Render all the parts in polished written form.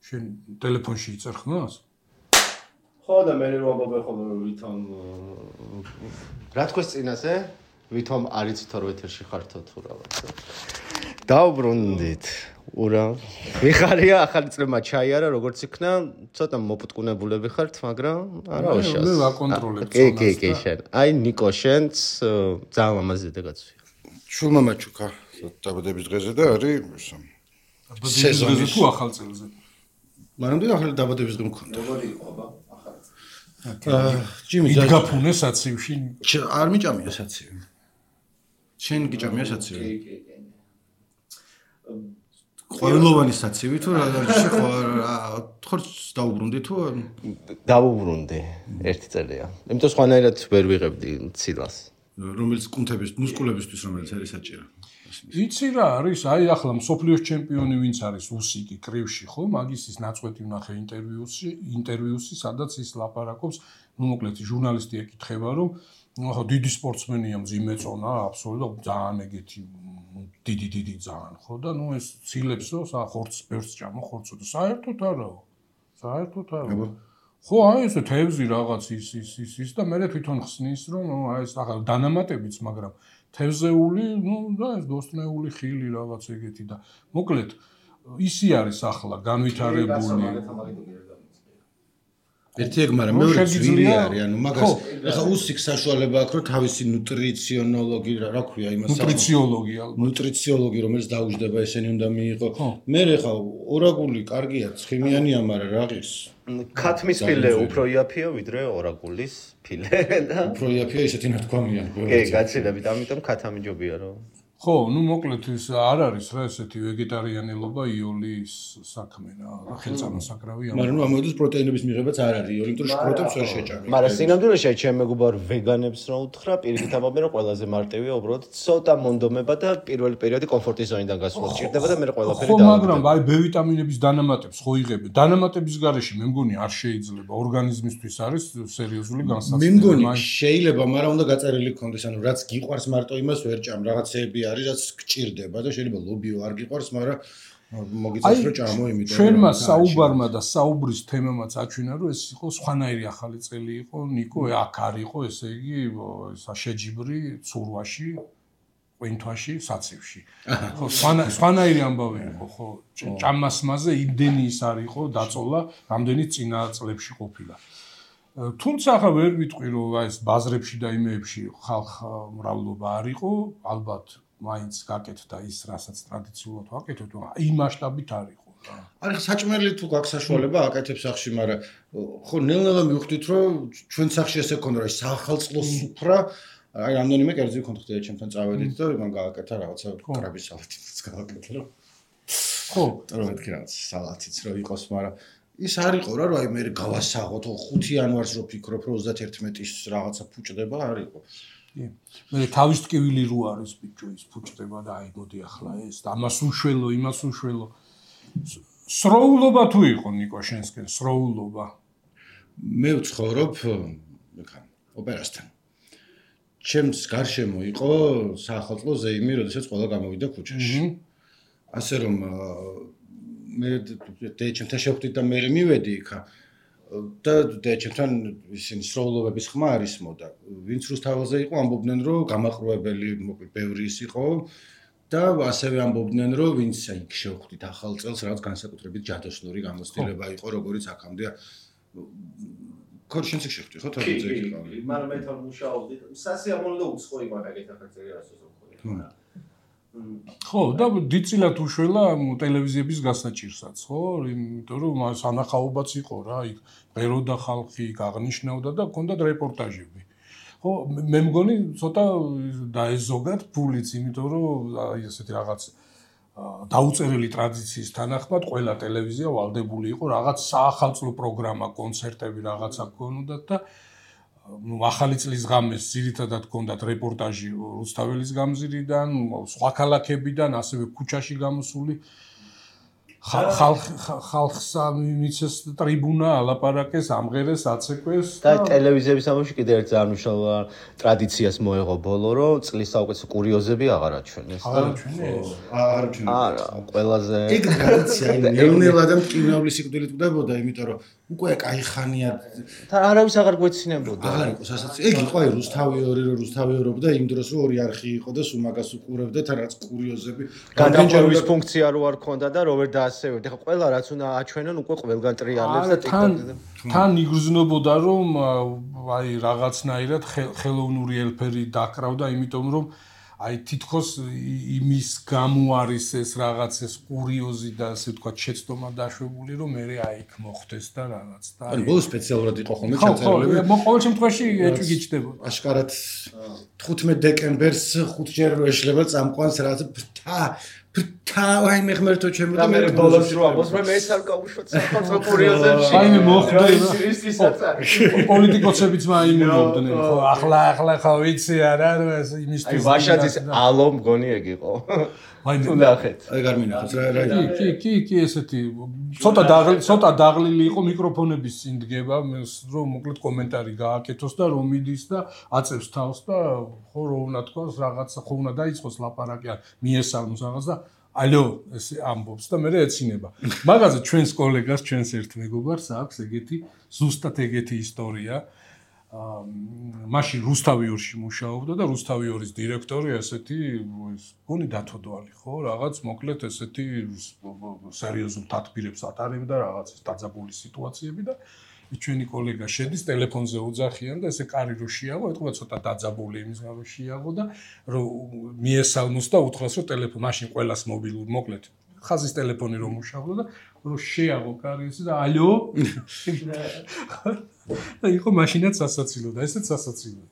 შენ ტელეფონში იწერ ხმას? ხო და მე რომ ამბობ ხოლმე ვითომ რა თქოს წინაზე? ვითომ არიც თორ ეთერში ხართო თუ რაღაც. დაუბრუნდით. ურა. მიხარია ახალი წლება ჩაიარა, როგორც იქნა, ცოტა მოპუტკუნებულები ხართ, მაგრამ არა უშავს. მე ვაკონტროლებ წონას. კი, შენ. აი ნიკო შენც ძალიან ლამაზი დედაგაცვია. შულმა მაჩუკა დაბადების დღეზე და არის სეზონი თუ ახალ წელზე. მანამდე ახალი დაბადების დღე მქონდა. როგორი იყო აბა? ჯიმი გაფუნე საცივში. არ მიჭამია საცივი. შენ გიჭამია საცივი? კი. ყოველოვანი საცივი თუ რა ხარ დაუბრუნდი თუ დაუბრუნდი ერთი წელია. იმიტომ სხვანაირად ვერ ვიღებდი ცილას. რომელიც კუნთების მუსკულებისთვის რომელიც არის საჭირო. იცი რა არის? აი ახლა მსოფლიოს ჩემპიონი ვინც არის უსიკი კრივში ხო? მაგის ის ნაწყვეტი ვნახე ინტერვიუსი, სადაც ის ლაპარაკობს, ну მოკლედ ჟურნალისტი ეკითხება, რომ ახლა დიდი სპორტსმენია, მძიმე წონა, აბსოლუტურად ძალიან ეგეთი დიდი ძალიან, ხო და ну ეს ცილებსო, ხორცს ბევრს ჭამო, ხორცო და საერთოდ არაო. ხო, აი ესე თევზი რაღაც ის და მე თვითონ ხსნის, რომ აი ეს ახლა დანამატებიც, მაგრამ თევზეული, და ეს ბოსტნეული ხილი რაღაც ეგეთი და მოკლედ ისი არის ახლა განვითარებული. ერთი ეგ, მაგრამ მეორე ძვირი არის, ანუ მაგას ახლა უსიქ საშუალება აქვს, რომ თავისი ნუტრიციონოლოგი რა ქვია იმას ნუტრიციოლოგი რომელიც დაუჯდება ესენი უნდა მიიღო. მე ხა ორაგული კარგია, ცხიმიანია, მაგრამ რაღის ქათმის ფილე უფრო იაფია ვიდრე ორაგულის ფილე და უფრო იაფია ისეთი ნათქვამია. კი, გაცილებით, ამიტომ ქათამიჯობია რომ ხო, ну მოკლედ ის არ არის რა ესეთი ვეგეტარიანელობა იოლის საქმე რა, ხელწამო საკრავი მაგრამ ნუ ამოდის პროტეინების მიღებაც არ არის იოლი, იმიტომ რომ შპროტებს ვერ შეჭამენ. მაგრამ სინამდვილეში ჩემ მეგობარ ვეგანებს რა უთხრა, პირიქით ამბობენ რომ ყველაზე მარტივია უბრალოდ ცოტა მონდომება და პირველი პერიოდი კომფორტის ზონიდან გასვლა ჭირდება და მე ყველაფერი ხო, მაგრამ აი B ვიტამინების დანამატებს ხო იღები. დანამატების გარეშე მე მგონი არ შეიძლება, ორგანიზმისთვის არის სერიოზული განსაცდელი. მე მგონი შეიძლება, მაგრამ უნდა გაწერილი ქონდეს, ანუ რაც გიყვარს მარტო იმას ვერ ჭამ, რაღაცეები არის რაც გჭირდება და შეიძლება ლობიო არ გიყვარს, მაგრამ მოგიწევს რომ ჭამო იმიტომ რომ ჩვენმა საუბარმა და საუბრის თემამაც აჩვენა რომ ეს იყო სხვანაირი ახალი წელი იყო ნიკო აქ არ იყო ესე იგი შეჯიბრი ცურვაში ყვინთვაში საცივში ხო სხვანაირი ამბავი იყო ხო ჭამასმაზე იმდენი ის არ იყო დაწოლა რამდენიც წინა წლებში ყოფილა თუმცა ახლა ვერ ვიტყვი რომ აი ეს ბაზრებში და იმეებში ხალხ მრავლობა არ იყო ალბათ მაინც გაკეთდა ის, რასაც ტრადიციულად ვაკეთებთ, იმ მასშტაბით არ იყო რა. არის საჭმელი თუ გაქვს საშუალება აკეთებს სახში, მაგრამ ხო ნელ-ნელა მივხვდით, რომ ჩვენ სახში ესე ქონდა, რომ საახალწლო სუფრა, აი რამდენიმე კერძი ქონდა ხდება ჩემთან წავედით და მან გააკეთა რაღაცა კრაბის სალათიც გააკეთა, რომ ხო, რომ მეთქი რაღაც სალათიც რო იყოს, მაგრამ ის არ იყო რა, რომ აი მე გავასაღოთ 5 იანვარს რო ფიქრობ, რომ 31-ის რაღაცა ფუჭდება, არ იყო. მე თავის ტკივილი რო არის ბიჭო ის ფუჭდება და აი მოდი ახლა ეს ამას უშველო იმას უშველო სროულობა თუ იყო ნიკო შენსკენ სროულობა მე ვცხოვრობ მეკან ოპერასთან ჩემს გარშემო იყო საახალწლო ზეიმი როდესაც ყველა გამოვიდა ქუჩაში ასე რომ მე ჩემთან შევხვდით და მე მივედი იქა და ჩემთან ისინი სროულობების ხმა არის მოდა. ვინც რუსთაველზე იყო, ამბობდნენ, რომ გამაყრუებელი მოკლედ ბევრი ის იყო და ასევე ამბობდნენ, რომ ვინც იქ შევხვდით ახალ წელს, რაღაც განსაკუთრებით ჯადოსნური გამოცდილება იყო, როგორიც აქამდე. ქორშენს შევხვდი, ხო, თავზე იქ იყო. მაგრამ მე თან მუშაობდი. სასიამოვნო და უცხო იყო მაგეთ ახალწელი რასაც ვქონდა. ხო, და დიდწილად უშველა ტელევიზიების გასაჭირსაც, ხო? იმიტომ რომ სანახაობაც იყო რა, იქ ღეროდა ხალხი, იქ აღნიშნავდა და ჰქონდათ რეპორტაჟები. ხო, მე მგონი ცოტა დაეზოგათ ფულიც, იმიტომ რომ აი ესეთი რაღაც დაუწერელი ტრადიციის თანახმად ყველა ტელევიზია ვალდებული იყო რაღაც საახალწლო პროგრამა, კონცერტები რაღაცა გქონოდათ და ახალი წლის ღამეს ძირითადად ჰქონდათ რეპორტაჟი რუსთაველის გამზირიდან, სხვა ქალაქებიდან, ასევე ქუჩაში გამოსული ხალხსა მიცეს ტრიბუნა ალაპარაკეს ამღერეს აცეკვეს და ტელევიზიების ამბავში კიდე ერთ ძალიან მნიშვნელოვან ტრადიციას მოეღო ბოლო რომ წლის საუკეთესო კურიოზები აღარ აჩვენეს არა ყველაზე ეგ ტრადიცია ნელა და მტკივნეული სიკვდილით კვდებოდა იმიტომ რომ უკვე კაი ხანია და არავის აღარ გვეცინებოდა აღარ იყო სასაცილო ეგ იყო აი რუსთავი 2 რომ რუსთავი 2 და იმ დროს რომ 2 არხი იყო და სულ მაგას უყურებდა თან რაც კურიოზები გადაჭერვის ფუნქცია რო არ ქონდა და როვერ დაასევებდი ხო ყველა რაც უნდა აჩვენონ უკვე ყველგან ტრიალებს და ტიკტოკზე თან იგრძნობოდა რომ აი რაღაცნაირად ხელოვნური ელფერი დაკრავდა იმიტომ რომ აი თითქოს იმის გამო არის ეს რაღაც ეს კურიოზი და ასე ვთქვათ შეცდომა დაშვებული რომ მე აი იქ მოხდეს და რაღაც და აი ბოლოს სპეციალურად იყო ხოლმე ჩაწერილი ხო ყოველ შემთხვევაში ეჭვი გიჩნდებოდა აშკარად 15 დეკემბერს 5 ჯერ რო ეშლება წამყვანს რაღაც აი მე ღმერთო ჩემო და მე ბოლოს რო ამბობს მე ეს არ გავუშვათ საფრთხო კურიოზებში აი მე მოხდა პოლიტიკოსებიც მაინებდნენ ხო ახლა ხო ვიცი არა იმისთვის აი ვაშაძის ალო მგონი ეგ იყო აი ნახეთ აი გარმინახავს რა კი ესეთი ცოტა დაღლილი იყო მიკროფონების წინ დგება რომ მოკლედ კომენტარი გააკეთოს და რომ მიდის და აწევს თავს და ხო რო უნდა თქვას რაღაცა ხო უნდა დაიწყოს ლაპარაკი მიესალმოს რაღაც და ალო ეს ამბობს და მე ეცინება მაგაზე ჩვენს კოლეგას ჩვენს ერთ მეგობარს აქვს ეგეთი ზუსტად ეგეთი ისტორია მაშინ რუსთავი 2-ში მუშაობდა და რუსთავი 2-ის დირექტორი ესეთი გონი დათოდვალი ხო რაღაც მოკლედ ესეთი სერიოზულ თათბირებს ატარებდა რაღაც ეს დაძაბული სიტუაციები და ჩვენი კოლეგა შედის ტელეფონზე უძახიან და ესე კარი რო შეაღო ეთქვა ცოტა დაძაბული იმის გამო შეაღო და რომ მიესალმოს და უთხრას რომ ტელეფონ მაშინ ყველას მობილური მოკლედ ხაზის ტელეფონი რომ მუშაობდა და რომ შეაღო კარი ისე და ალო და იყო მაშინაც სასაცილო და ესეც სასაცილო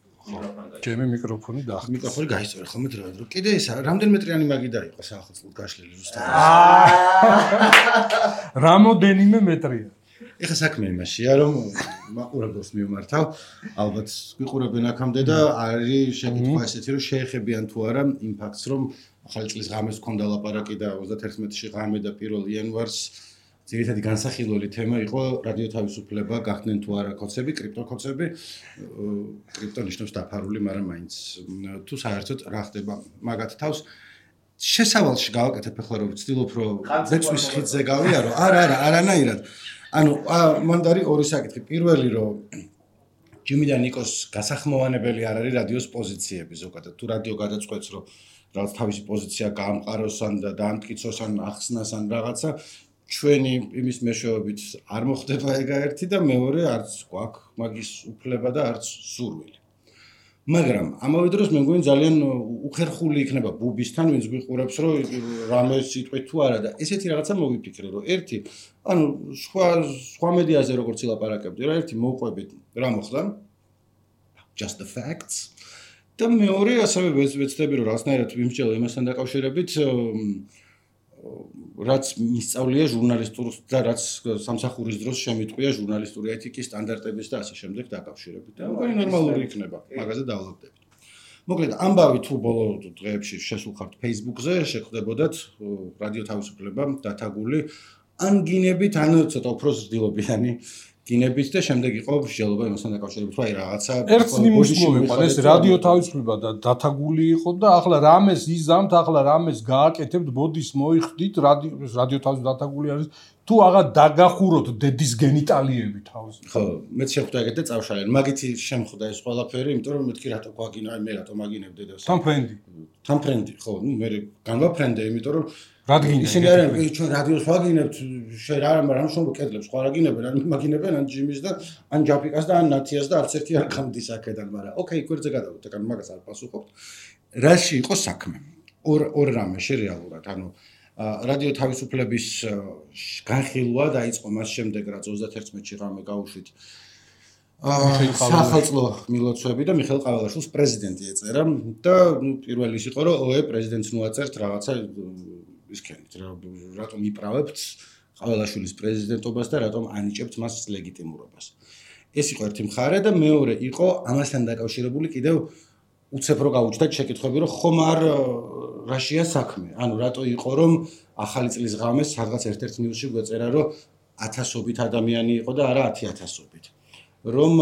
ჩემი მიკროფონი დაახტა მიკროფონი გაისწორე ხოლმე დრო კიდე ეს რამდენიმე მეტრიანი მაგი დაიყო საახალწლოდ გაშლილი რუსთავი რამოდენიმე მეტრია ეხა საქმე იმაშია რომ მაყურებელს მივმართავ ალბათ გვიყურებენ აქამდე და არის შეკითხვა ესეთი რომ შეეხებიან თუ არა იმ ფაქტს რომ ახალი წლის ღამეს გქონდა ლაპარაკი და 31-ში ღამე და 1 იანვარს ძირითადი განსახილველი თემა იყო რადიო თავისუფლება გახდნენ თუ არა კოცები კრიპტოკოცები კრიპტო ნიშნავს დაფარული მაგრამ მაინც თუ საერთოდ რა ხდება მაგათ თავს შესავალში გავაკეთებ ახლა რომ ვცდილობ რომ ზეცვის ხიდზე გავიარო არანაირად ანუ მანდარი ორი საკითხი პირველი რომ ჯიმი და ნიკოს გასახმოვანებელი არ არის რადიოს პოზიციები ზოგადად თუ რადიო გადაწყვეტს რომ რაღაც თავისი პოზიცია გაამყაროს ან დაამტკიცოს ან ახსნას ან რაღაცა ჩვენი იმის მეშვეობით არ მოხდება ეგაერთი და მეორე არც გვაქვს მაგის უფლება და არც სურვილი მაგრამ ამავე დროს მე მგონი ძალიან უხერხული იქნება ბუბისთან ვინც გვიყურებს რომ რამე სიტყვით თუ არა და ესეთი რაღაცა მოვიფიქრე რომ ერთი ანუ სხვა მედიაზე როგორც ილაპარაკებდი რა ერთი მოვყვებით რა მოხდა just the facts და მეორე ასევე ვეცდები რომ რაღაცნაირად ვიმსჯელო იმასთან დაკავშირებით რაც მისწავლია ჟურნალისტურს და რაც სამსახურის დროს შემიტყვია ჟურნალისტური ეთიკის სტანდარტების და ასე შემდეგ დაკავშირებით. და მგონი ნორმალური იქნება, მაგაზე დავლაგდებით. მოკლედ, ამბავი თუ ბოლო დღეებში შესულხართ Facebook-ზე, შეხვდებოდათ რადიო თავისუფლება დათაგული ან გინებით, ან ცოტა უფრო ზრდილობიანი გინებით და შემდეგ იყო მსჯელობა იმასთან დაკავშირებით, რომ აი რაღაცა ერთ ნიმუშს მოვიყვა, ეს რადიო თავისუფლება და დათაგული იყო და ახლა რამეს იზამთ, ახლა რამეს გააკეთებთ, ბოდის მოიხდით, რადიო თავისუფლება დათაგული არის, თუ აღარ დაგახუროთ დედის გენიტალიები თავს. ხო, მეც შეხვდა ეგეთ და წავშალენ. მაგითი შემხვდა ეს ყველაფერი, იმიტომ რომ მეთქი რატო გვაგინა, აი მე რატო მაგინებ დედას. თან ფრენდი, ხო, ნუ მე განვაფრენდე, იმიტომ რომ რადგან ისინი არიან ჩვენ რადიოს ვაგინებთ შენ რამ შენ კედლებს ხო არაგინებენ ან მაგინებენ ან ჯიმის და ან ჯაფიკას და ან ნათიას და არც ერთი არ გამდის აქედან მაგრამ ოკეი გვერდზე გადავიდეთ ან მაგას არ პასუხობთ რაში იყო საქმე ორ რამეში რეალურად ანუ რადიო თავისუფლების განხილვა დაიწყო მას შემდეგ რაც 31-ში ღამე გავუშვით საახალწლო მილოცვები და მიხეილ ყავალაშვილს პრეზიდენტი ეწერა და ნუ პირველი ის იყო რომ ოე პრეზიდენტს ნუაწერთ რაღაცა ისქენით რატომ იправებთ ყავალაშვილის პრეზიდენტობას და რატომ ანიჭებთ მას ლეგიტიმურობას. ეს იყო ერთი მხარე და მეორე იყო ამასთან დაკავშირებული კიდევ უცებ რო გაუჩნდათ შეკითხვები, რომ ხომ არ რაშია საქმე. ანუ რატო იყო რომ ახალი წლის ღამეს სადღაც ერთ-ერთ ნიუსში გვეწერა რომ 1000-ობით ადამიანი იყო და არა 10000-ობით. რომ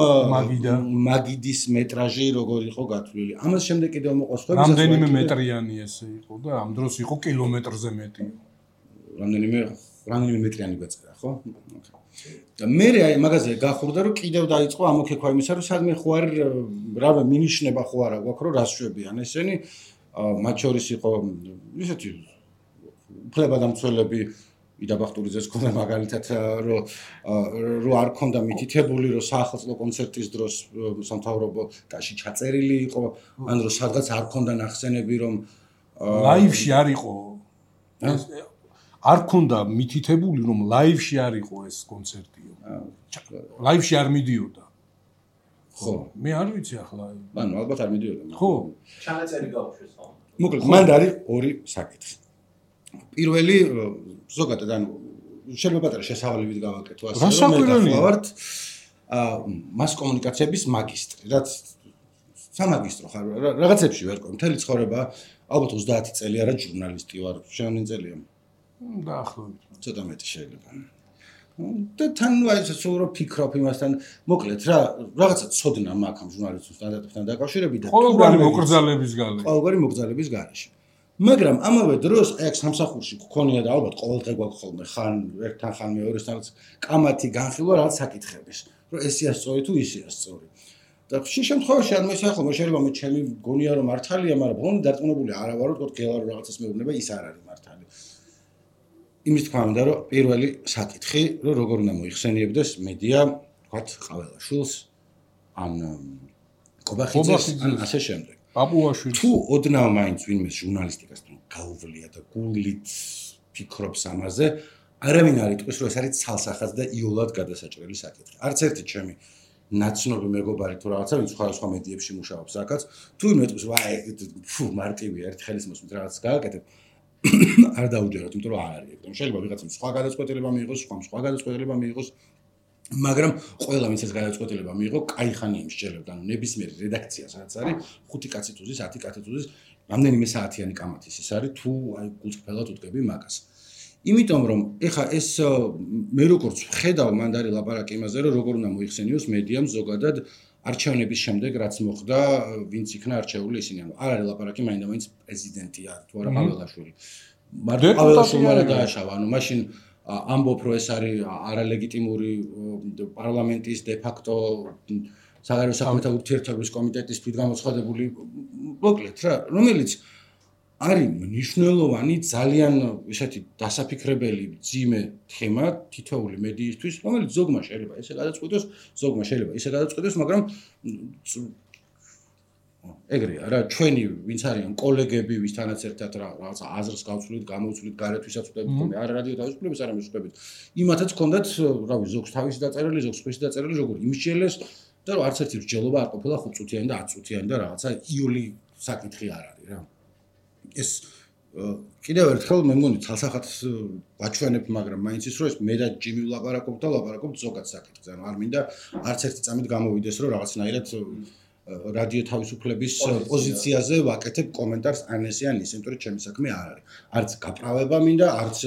მაგიდის მეტრაჟი როგორ იყო გათვლილი. ამას შემდეგ კიდევ მოყვა სხვა რამდენიმე მეტრიანი ესე იყო და ამ დროს იყო კილომეტრზე მეტი. რამდენიმე მეტრიანი გვეწერა, ხო? და მე აი მაგაზე გახურდა რომ კიდევ დაიწყო ამოქექვა იმისა რომ სადმე ხო არ რავი მინიშნება ხო არა გვაქვს რომ რას შვებიან ესენი მათ შორის იყო ისეთი უფლებადამცველები იდაბახტურიძეს ქონდა მაგალითად რომ არ ქონდა მითითებული რომ საახალწლო კონცერტის დროს სამთავრობო ტაში ჩაწერილი იყო ან რომ სადღაც არ ქონდა ნახსენები რომ ლაივში არ იყო არ ქონდა მითითებული რომ ლაივში არ იყო ეს კონცერტიო ლაივში არ მიდიოდა ხო მე არ ვიცი ახლა ანუ ალბათ არ მიდიოდა ხო ჩანაწერი გაუშვეს ხო მოკლედ მანდ არის ორი საკითხი პირველი ზოგადად ანუ შეიძლება პატარა შესავალებით გავაკეთო ასე რომ მე ვარ მას კომუნიკაციების მაგისტრი რაც სამაგისტრო ხარ რაღაცებში ვერ ყო მთელი ცხოვრება ალბათ 30 წელი არა ჟურნალისტი ვარ შენ წელია დაახლოებით ცოტა მეტი შეიძლება და თან აი სულ რო ფიქრობ იმასთან მოკლედ რა რაღაცა ცოდნა მაქვს ამ ჟურნალისტურ სტანდარტებთან დაკავშირებით და ყოველგვარი მოკრძალების გარეშე ყოველგვარი მოკრძალების გარეშე მაგრამ ამავე დროს აი აქ სამსახურში გქონია და ალბათ ყოველდღე გვაქვს ხოლმე ხან ერთთან ხან მეორესთან კამათი განხილვა რაღაც საკითხების რომ ესეა სწორი თუ ისეა სწორი და ხშირ შემთხვევაში ანუ ესე ხოლმე შეიძლება მე ჩემი გონია რომ მართალია მაგრამ ბოლომდე დარწმუნებული არა ვარ რომ თქო გელა რომ რაღაცას მეუბნება ის არ არის მართალი იმის თქმა უნდა რომ პირველი საკითხი რომ როგორ უნდა მოიხსენიებდეს მედია ვთქვათ ყაველაშვილს ან კობახიძეს ან ასე შემდეგ პაპუაშვილს თუ ოდნავ მაინც ვინმე ჟურნალისტიკასთან გაუვლია და გულით ფიქრობს ამაზე არავინ არ იტყვის რომ ეს არის ცალსახად და იოლად გადასაჭრელი საკითხი არც ერთი ჩემი ნაცნობი მეგობარი თუ რაღაცა ვინც სხვა მედიებში მუშაობს აქაც თუ ვინმე იტყვის ვაი ფუ მარტივია ერთ ხელის მოსმით რაღაც გააკეთებ არ დაუჯეროთ, იმიტომ რომ არ არის ეგრე. შეიძლება ვიღაცამ სხვა გადაწყვეტილება მიიღოს, სხვა გადაწყვეტილება მიიღოს, მაგრამ ყველა ვინც ეს გადაწყვეტილება მიიღო, კაი ხანი იმსჯელებდა, ანუ ნებისმიერი რედაქცია სადაც არის, 5 კაცი თუზის, 10 კაცი თუზის, რამდენიმე საათიანი კამათის ის არის, თუ აი გულწრფელად უტკები მაგას. იმიტომ რომ ეხა ეს მე როგორც ვხედავ მანდარი ლაპარაკი იმაზე, რომ როგორ უნდა მოიხსენიოს მედიამ ზოგადად არჩევნების შემდეგ რაც მოხდა, ვინც იქნა არჩეული ისინი, ანუ არ არის ლაპარაკი მაინდა-მაინც პრეზიდენტია თუ არა ყაველაშვილი. მარტო ყაველაშვილმა რა დააშავა, ანუ მაშინ ამბობ რომ ეს არის არალეგიტიმური პარლამენტის დე-ფაქტო საგარეო საქმეთა ურთიერთობის კომიტეტის თვითგამოცხადებული მოკლედ რა, რომელიც არის მნიშვნელოვანი ძალიან ისეთი დასაფიქრებელი ძიმე თემა თითოეული მედიისთვის, რომელიც ზოგმა შეიძლება ესე გადაწყვიტოს, ზოგმა შეიძლება ისე გადაწყვიტოს, მაგრამ ეგრეა რა, ჩვენი ვინც არიან კოლეგები, ვისთანაც ერთად რაღაცა აზრს გავცვლით, გამოვცვლით, გარეთ ვისაც ვხვდებით, ხოლმე არა რადიო თავისუფლების, არა მისხვდებით. იმათაც ჰქონდათ, რავი, ზოგს თავისი დაწერილი, ზოგს სხვისი დაწერილი, როგორ იმსჯელეს და რომ არც ერთი მსჯელობა არ ყოფილა 5 წუთიანი და 10 წუთიანი და რაღაცა იული საკითხი არ არის რა. ეს კიდევ ერთხელ მე მგონი თალსახად ვაჩვენებ, მაგრამ მაინც ის რომ ეს მე და ჯიმი ვლაპარაკობ და ვლაპარაკობ ზოგად საკითხზე. ანუ არ მინდა არც ერთი წამით გამოვიდეს, რომ რაღაცნაირად რადიო თავისუფლების პოზიციაზე ვაკეთებ კომენტარს ან ესე ან ისე, იმიტომ რომ ჩემი საქმე არ არის. არც გაправება მინდა, არც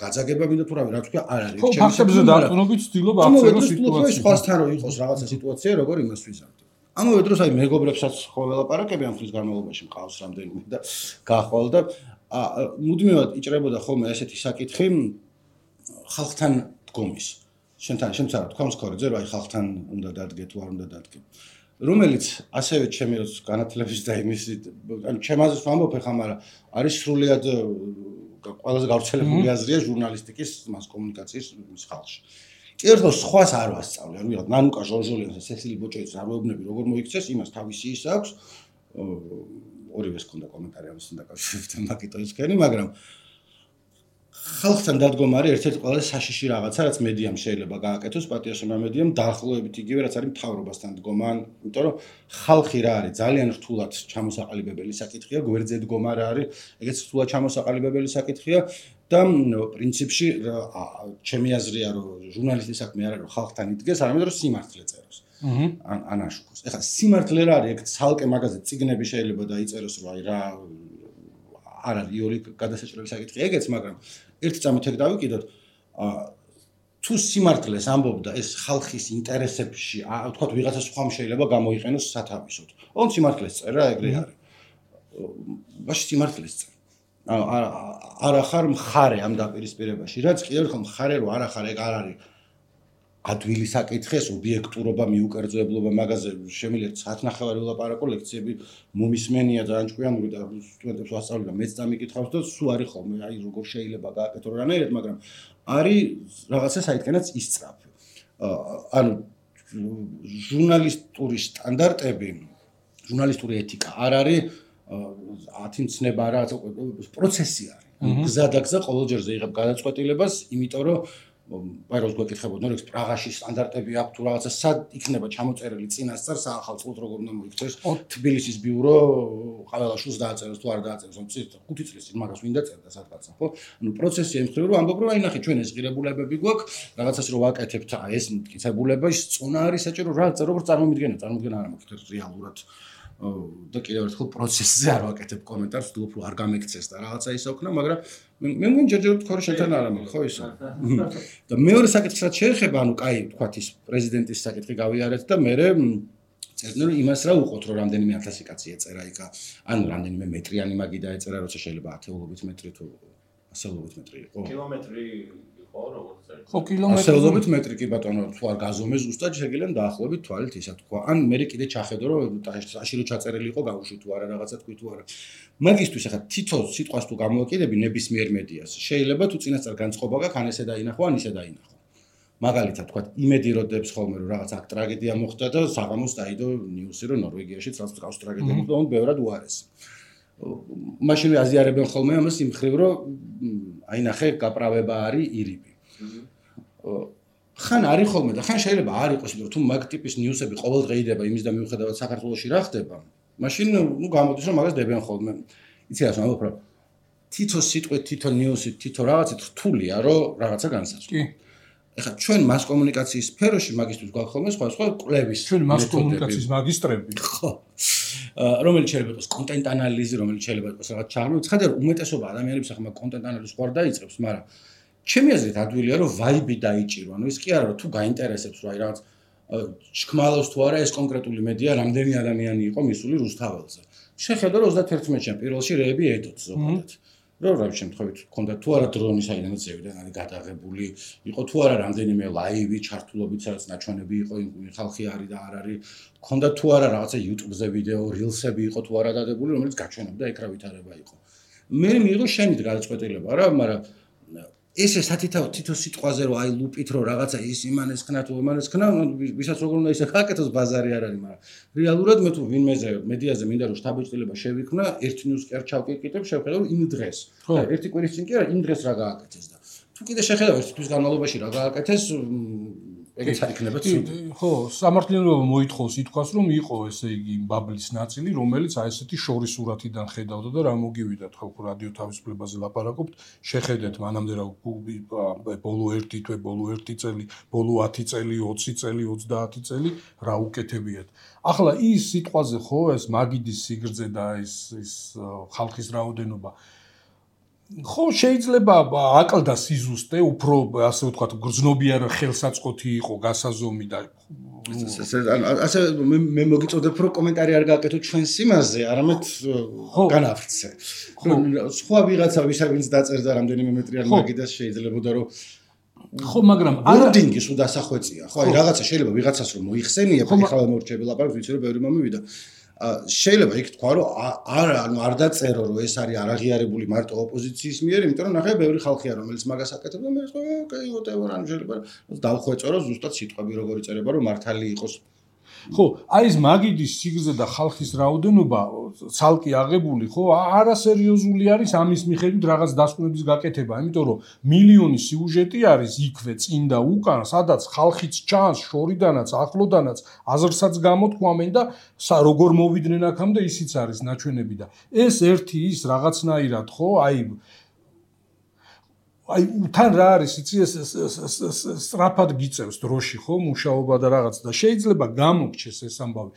გაძაგება მინდა თუ რა თქვა, არ არის. ხო, ფაქტებზე დარწმუნებით ვცდილობ აღწერო სიტუაცია. სხვასთან რო იყოს რაღაცა სიტუაცია, როგორ იმას ვიზამთრებ. ამავე დროს აი მეგობრებსაც ხო ველაპარაკები ამ ხნის განმავლობაში მყავს რამდენიმე და გაახვალ და მუდმივად იჭრებოდა ხოლმე ესეთი საკითხი ხალხთან დგომის. შენთან შემცარა თქვამს ქორიძე რომ აი ხალხთან უნდა დადგე თუ არ უნდა დადგე. რომელიც ასევე ჩემი როს განათლების და იმის ანუ ჩემაზეც ვამბობ ხა, მაგრამ არის სრულიად ყველაზე გავრცელებული აზრია ჟურნალისტიკის მას კომუნიკაციის ხალხში. ერთოს სხვას არ ვასწავლე, ანუ ვიღაც ნანუკა ჟორჟოლიანს და სესილი ბოჭეძის არ ვეუბნები როგორ მოიქცეს, იმას თავისი ის აქვს. ორივეს ქონდა კომენტარი ამასთან დაკავშირებით, მაგიტოს ქენი, მაგრამ ხალხთან დადგომა არის ერთ-ერთი ყველაზე საშიში რაღაცა, რაც მედიამ შეიძლება გააკეთოს, პატიოსმა მედიამ დაახლოებით იგივე, რაც არის მთავრობასთან დგომა, იმიტომ რომ ხალხი რა არის, ძალიან რთულად ჩამოსაყალიბებელი საკითხია, გვერდზე დგომა რა არის, ეგეც რთულად ჩამოსაყალიბებელი საკითხია. და პრინციპში ჩემი აზრია რომ ჟურნალისტის საქმე არ არის რომ ხალხთან იდგეს, არამედ რომ სიმართლე წეროს. ან აშუქოს. ეხლა სიმართლე რა არის, ეგ ცალკე მაგაზე წიგნები შეიძლება დაიწეროს, რომ აი რა არ არის იოლი გადასაჭრელი საკითხი ეგეც, მაგრამ ერთი წამით ეგ დავიკიდოთ, თუ სიმართლეს ამბობდა ეს ხალხის ინტერესებში, ვთქვათ ვიღაცა სხვა შეიძლება გამოიყენოს სათავისოდ. ოღონდ სიმართლეს წერა ეგრე არის. ბაში სიმართლეს წერა. არა ხარ მხარე ამ დაპირისპირებაში, რაც კიდევ ერთხელ მხარე რო არა ხარ, ეგ არ არის ადვილი საკითხი, ეს ობიექტურობა, მიუკერძოებლობა, მაგაზე შემიძლია საათნახევარი ვლაპარაკო, ლექციები მომისმენია ძალიან ჭკვიანური და სტუდენტებს ვასწავლებ და მეც დამიკითხავს და სულ არის ხოლმე, აი როგორ შეიძლება გააკეთო რანაირად, მაგრამ არის რაღაცა საითკენაც ისწრაფი. ანუ ჟურნალისტური სტანდარტები, ჟურნალისტური ეთიკა არ არის ათინცნება რა პროცესი არის. გზა და გზა ყოველ ჯერზე იღებ გადაწყვეტილებას, იმიტომ რომ აი როგორც გვეკითხებოდნენ, რომ პრაღაში სტანდარტები აქვს თუ რაღაცა სად იქნება ჩამოწერილი წინასწარ საახალწლოდ როგორ უნდა მოიქცეს თბილისის ბიურო ყაველაშვილს დააწეროს თუ არ დააწეროს, ანუ 5 წლის წინ მაგას ვინ დაწერდა სადღაცა, ხო? ანუ პროცესი ემხრე რომ ამბობ რომ აი ნახე ჩვენ ეს ღირებულებები გვაქვს, რაღაცას რო ვაკეთებთ, ეს მტკიცებულება ის წონა არის საჭირო რა როგორ წარმომიდგენა არ მოგხდეთ რეალურად და კიდევ ერთხელ პროცესზე არ ვაკეთებ კომენტარს, ვთქვი რომ არ გამექცეს და რაღაცა ისე ოქნა, მაგრამ მე მგონი ჯერჯერობით თქო რომ შენთან არ ამბობ, ხო ისო. და მეორე საკითხს რაც შეეხება, ანუ კაი, ვთქვათ ის პრეზიდენტის საკითხი გავიარეთ და მე წერდნენ რომ იმას რა უყოთ რომ რამდენიმე 1000 კაცი ეწერა იქა, ანუ რამდენიმე მეტრიანი მაგი დაეწერა, როცა შეიძლება 10-ობით მეტრი თუ 100-ობით მეტრი იყო. კილომეტრი იყო როგორც წერა. ხო, კილომეტრი. 100-ობით მეტრი კი ბატონო, თუ არ გაზომე ზუსტად შეიძლება დაახლოებით თვალით ისა თქვა. ან მე კიდე ჩახედო რომ ტაში რო ჩაწერილი იყო გავუშვი თუ არა რაღაცა თქვი თუ არა. მაგისთვის ახლა თითო სიტყვას თუ გამოვაკიდები ნებისმიერ მედიას, შეიძლება თუ წინასწარ განწყობა გაქვს, ან ესე დაინახო, ან ისე დაინახო. მაგალითად თქვა, იმედი როდებს ხოლმე რომ რაღაც აქ ტრაგედია მოხდა და საღამოს დაიდო ნიუსი რომ ნორვეგიაში წავს ტრაგედია მოხდა, ოღონდ ბევრად უარესი. მაშინ აზიარებენ ხოლმე ამას იმ ხრივ რომ აი ნახე გაправება არის ირიბი. ხან არის ხოლმე და ხან შეიძლება არ იყოს, იმიტომ რომ თუ მაგ ტიპის ნიუსები ყოველდღე იდება იმის და მიუხედავად საქართველოში რა ხდება, მაშინ გამოდის რომ მაგას დებენ ხოლმე. იცი რა ვამბობ რა. თითო სიტყვით, თითო ნიუსით, თითო რაღაცით რთულია რომ რაღაცა განსაზღვრო. კი. ეხლა ჩვენ მას კომუნიკაციის სფეროში მაგისტრის გვაქვს ხოლმე სხვა კვლევის ჩვენ მას კომუნიკაციის მაგისტრები. ხო. რომელიც შეიძლება იყოს კონტენტ ანალიზი, რომელიც შეიძლება იყოს რაღაც ჩაღრმავება. ცხადია რომ უმეტესობა ადამიანებს ახლა კონტენტ ანალიზს ხوار დაიწყებს, მაგრამ ჩემი აზრით ადვილია რომ ვაიბი დაიჭირო. ანუ ის კი არა რომ თუ გაინტერესებს რომ აი რაღაც ჩქმალავს თუ არა ეს კონკრეტული მედია რამდენი ადამიანი იყო მისული რუსთაველზე. შეხედო რომ 31-ში პირველში რეები ედოთ ზოგადად. რომ რა შემთხვევით ქონდა თუ არა დრონი საიდანაც ზევიდან არის გადაღებული, იყო თუ არა რამდენიმე ლაივი ჩართულობით სადაც ნაჩვენები იყო ხალხი არის და არ არის, ქონდა თუ არა რაღაცა YouTube-ზე ვიდეო, Reels-ები იყო თუ არა დადებული, რომელიც გაჩვენებდა ეკრა ვითარება იყო. მე მიიღო შენით გადაწყვეტილება რა, მაგრამ ესე სათითაოდ თითო სიტყვაზე რომ აი ლუპით რომ რაღაცა ის იმანეს ხნა თუ იმანეს ხნა, ვისაც როგორ უნდა ისე გააკეთოს ბაზარი არ არის, მაგრამ რეალურად მე თუ ვინმეზე მედიაზე მინდა რომ შთაბეჭდილება შევიქმნა, ერთ ნიუს კი არ ჩავკითხებ, შევხედავ რომ იმ დღეს. და ერთი კვირის წინ კი არა, იმ დღეს რა გააკეთეს და თუ კიდე შეხედავ ერთი თვის განმავლობაში რა გააკეთეს, ეგეც არ იქნება ცუდი. ხო, სამართლიანობა მოითხოვს ითქვას რომ იყო ესე იგი ბაბლის ნაწილი, რომელიც აი ესეთი შორის სურათიდან ხედავდა და რა მოგივიდათ ხო რადიო თავისუფლებაზე ლაპარაკობთ, შეხედეთ მანამდე რა ბოლო 1 თვე, ბოლო 1 წელი, ბოლო 10 წელი, 20 წელი, 30 წელი რა უკეთებიათ. ახლა ის სიტყვაზე ხო ეს მაგიდის სიგრძე და ის ხალხის რაოდენობა ხო შეიძლება აკლდა სიზუსტე, უფრო ასე ვთქვათ, გრძნობიარე ხელსაწყოთი იყო გასაზომი და ასე მე მოგიწოდებ რომ კომენტარი არ გააკეთო ჩვენს იმაზე, არამედ განავრცე. სხვა ვიღაცა ვინც დაწერდა რამდენიმე მეტრიან მაგიდას შეიძლებოდა რომ ხო, მაგრამ ვორდინგი სულ დასახვეწია. ხო, აი რაღაცა შეიძლება ვიღაცას რომ მოიხსენიებ, ხალხი მორჩები ლაპარაკობს, ვიცი რომ ბევრი მომივიდა. შეიძლება იქ თქვა რომ არ დაწერო რომ ეს არის არაღიარებული მარტო ოპოზიციის მიერ, იმიტომ რომ ნახე ბევრი ხალხია რომელიც მაგას აკეთებს და მე ოკეი whatever ან შეიძლება დავხვეწო რომ ზუსტად სიტყვები როგორ იწერება რომ მართალი იყოს. ხო, აი ეს მაგიდის სიგრძე და ხალხის რაოდენობა ცალკე აღებული, ხო, არასერიოზული არის ამის მიხედვით რაღაც დასკვნების გაკეთება, იმიტომ რომ მილიონი სიუჟეტი არის იქვე წინ და უკან, სადაც ხალხიც ჩანს, შორიდანაც, ახლოდანაც, აზრსაც გამოთქვამენ და როგორ მოვიდნენ აქამდე ისიც არის ნაჩვენები და ეს ერთი ის რაღაცნაირად, ხო, აი აი თან რა არის იცი ეს სწრაფად გიწევს დროში ხო მუშაობა და რაღაც და შეიძლება გამოგჩეს ეს ამბავი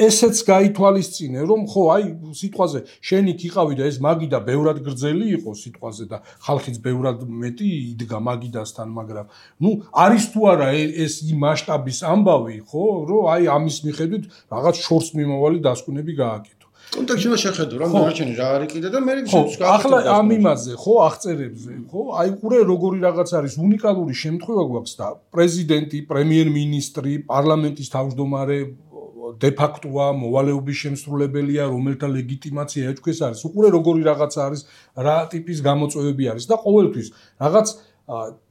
ესეც გაითვალისწინე რომ ხო აი სიტყვაზე შენ იქ იყავი და ეს მაგიდა ბევრად გრძელი იყო სიტყვაზე და ხალხიც ბევრად მეტი იდგა მაგიდასთან მაგრამ ნუ არის თუ არა ეს იმ მასშტაბის ამბავი ხო რომ აი ამის მიხედვით რაღაც შორს მიმავალი დასკვნები გააკეთო კონტექსტში შეხედო რა მოაჩენე რა არის კიდე და მე ხო ახლა ამ იმაზე ხო აღწერებზე ხო აი ყურე როგორი რაღაც არის უნიკალური შემთხვევა გვაქვს და პრეზიდენტი პრემიერ-მინისტრი პარლამენტის თავმჯდომარე de facto-ა მოვალეობის შემსრულებელია რომელთა ლეგიტიმაცია ეჭქვეს არის უყურე როგორი რაღაც არის რა ტიპის გამოწვევები არის და ყოველთვის რაღაც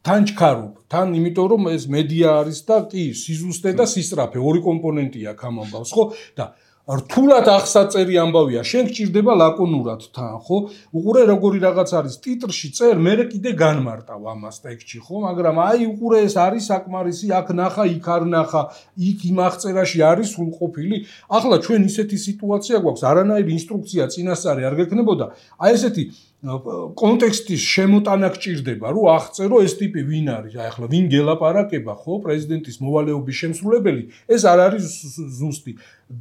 თან ჩქარობ თან იმიტომ რომ ეს მედია არის და კი სიზუსტე და სისწრაფე ორი კომპონენტია აქ ამ ამბავს ხო და რთულად აღსაწერი ამბავია შენ გჭირდება ლაკონურად თან ხო უყურე როგორი რაღაც არის ტიტრში წერ მე კიდე განმარტავ ამას ტექსტში ხო მაგრამ აი უყურე ეს არის საკმარისი აქ ნახა იქ არ ნახა იქ იმ აღწერაში არის სრულყოფილი ახლა ჩვენ ისეთი სიტუაცია გვაქვს არანაირი ინსტრუქცია წინასწარი არ გექნებოდა აი ესეთი კონტექსტის შემოტანა გჭირდება რომ აღწერო ეს ტიპი ვინ არის აი ახლა ვინ გელაპარაკება ხო პრეზიდენტის მოვალეობის შემსრულებელი ეს არ არის ზუსტი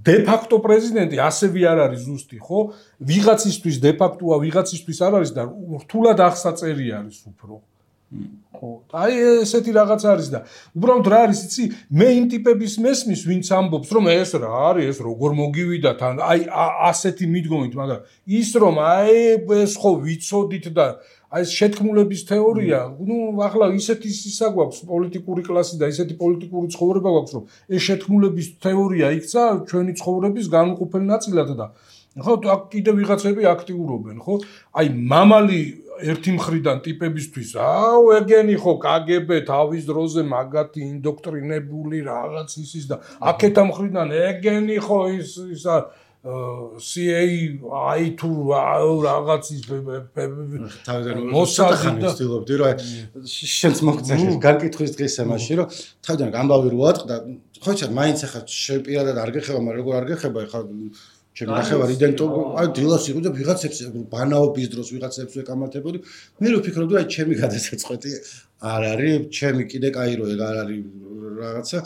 de facto პრეზიდენტი ასევე არ არის ზუსტი ხო ვიღაცისთვის de facto-ა ვიღაცისთვის არ არის და რთულად აღსაწერი არის უფრო ხო აი ესეთი რაღაც არის და უბრალოდ რა არის იცი მე იმ ტიპების მესმის ვინც ამბობს რომ ეს რა არის ეს როგორ მოგივიდა თან აი ასეთი მიდგომით მაგრამ ის რომ აი ეს ხო ვიცოდით და აი ეს შეთქმულების თეორია ნუ ახლა ისეთი ისა გვაქვს პოლიტიკური კლასი და ისეთი პოლიტიკური ცხოვრება გვაქვს რომ ეს შეთქმულების თეორია იქცა ჩვენი ცხოვრების განუყოფელ ნაწილად და ხო აქ კიდე ვიღაცები აქტიურობენ ხო აი მამალი ერთი მხრიდან ტიპებისთვის აუ ეგენი ხო KGB თავის დროზე მაგათი ინდოქტრინებული რაღაც ისის და აქეთა მხრიდან ეგენი ხო ისა CIA აი თუ რაღაცის მოსაძი ვცდილობდი რომ შენც მოგწესეს განკითხვის დღეს ამაში რომ თავიდან ამბავი რო ატყდა ხო იცი მაინც ახლა შეპირადად არ გეხება მაგრამ როგორ არ გეხება ახლა ჩემი ნახევარ იდენტო აი დილას იყო და ვიღაცებს ბანაობის დროს ვიღაცებს ვეკამათებოდი მე რო ვფიქრობდი აი ჩემი გადასაწყვეტი არ არის ჩემი კიდე კაირო ეგ არ არის რაღაცა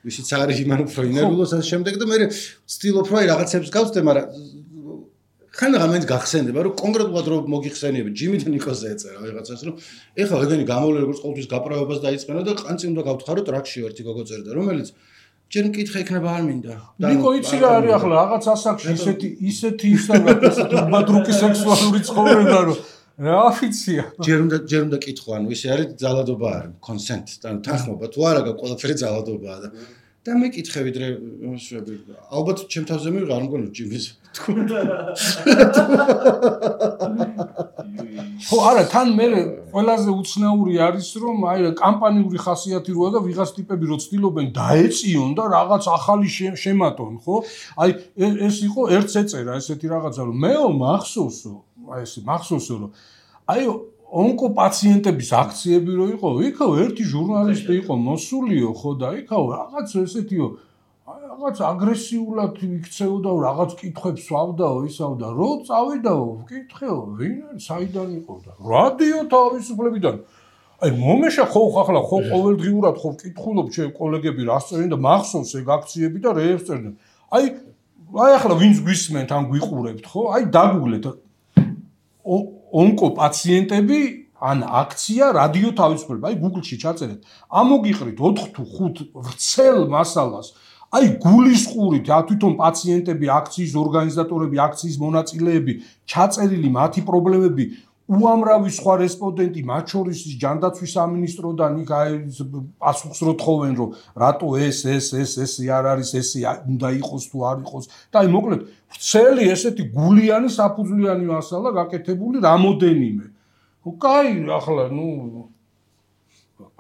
ვისიც არის იმან უფრო ინერვიულოს ამ შემდეგ და მე ვცდილობ რომ აი რაღაცებს გავწდე მაგრამ ხან ამით გახსენდება რომ კონკრეტულად რომ მოგიხსენიები ჯიმი და ნიკოზე ეწერა ვიღაცას რომ ეხლა ეგენი გამოვლენ როგორც ყოველთვის გაპროებას დაიწყენა და ყანწი უნდა გავთხარო ტრაქში ერთი გოგო წერდა რომელიც ჯერ მკითხა იქნება არ მინდა. ნიკო იცი რა არის ახლა რაღაც ასაკში ისეთი უბადრუკი სექსუალური ცხოვრება რომ რა ვიცია. ჯერ უნდა კითხო ანუ ისე არის ძალადობა არის consent და თანხმობა თუ არა ყველაფერი ძალადობაა და მე კითხე ვიდრე ალბათ ჩემ თავზე მივიღე არ მგონი ჯიმის ხო არა თან მე ყველაზე უცნაური არის რომ აი კამპანიური ხასიათი როა და ვიღაც ტიპები რო ცდილობენ დაეწიონ და რაღაც ახალი შემატონ ხო აი ეს იყო ერთს ეწერა ესეთი რაღაცა რომ მეო მახსოვსო აი ეს მახსოვსო რომ აი ონკოპაციენტების აქციები რო იყო იქაო ერთი ჟურნალისტი იყო მოსულიო ხო და იქაო რაღაც ესეთიო რაღაც აგრესიულად იქცეოდა რაღაც კითხვებს ვავდაო ისაო და რო წავიდაო ვკითხეო ვინ არის საიდან იყო და რადიო თავისუფლებიდან აი მომეშა ხო ახლა ხო ყოველდღიურად ხო ვკითხულობ ჩემ კოლეგები რას წერენ და მახსოვს ეგ აქციები და რეებს წერდნენ აი ახლა ვინც გვისმენთ ან გვიყურებთ ხო აი დაგუგლეთ ონკოპაციენტები ან აქცია რადიო თავისუფლება აი Google-ში ჩაწერეთ ამოგიყრით 4 თუ 5 ვრცელ მასალას აი გულისყურით თვითონ პაციენტები აქციის ორგანიზატორები აქციის მონაწილეები ჩაწერილი მათი პრობლემები უამრავი სხვა რესპონდენტი მათ შორის ჯანდაცვის სამინისტროდან იქ აი პასუხს რო თხოვენ რომ რატო ეს არ არის ეს უნდა იყოს თუ არ იყოს და აი მოკლედ ვრცელი ესეთი გულიანი საფუძვლიანი მასალა გაკეთებული რამოდენიმე ხო კაი ახლა ნუ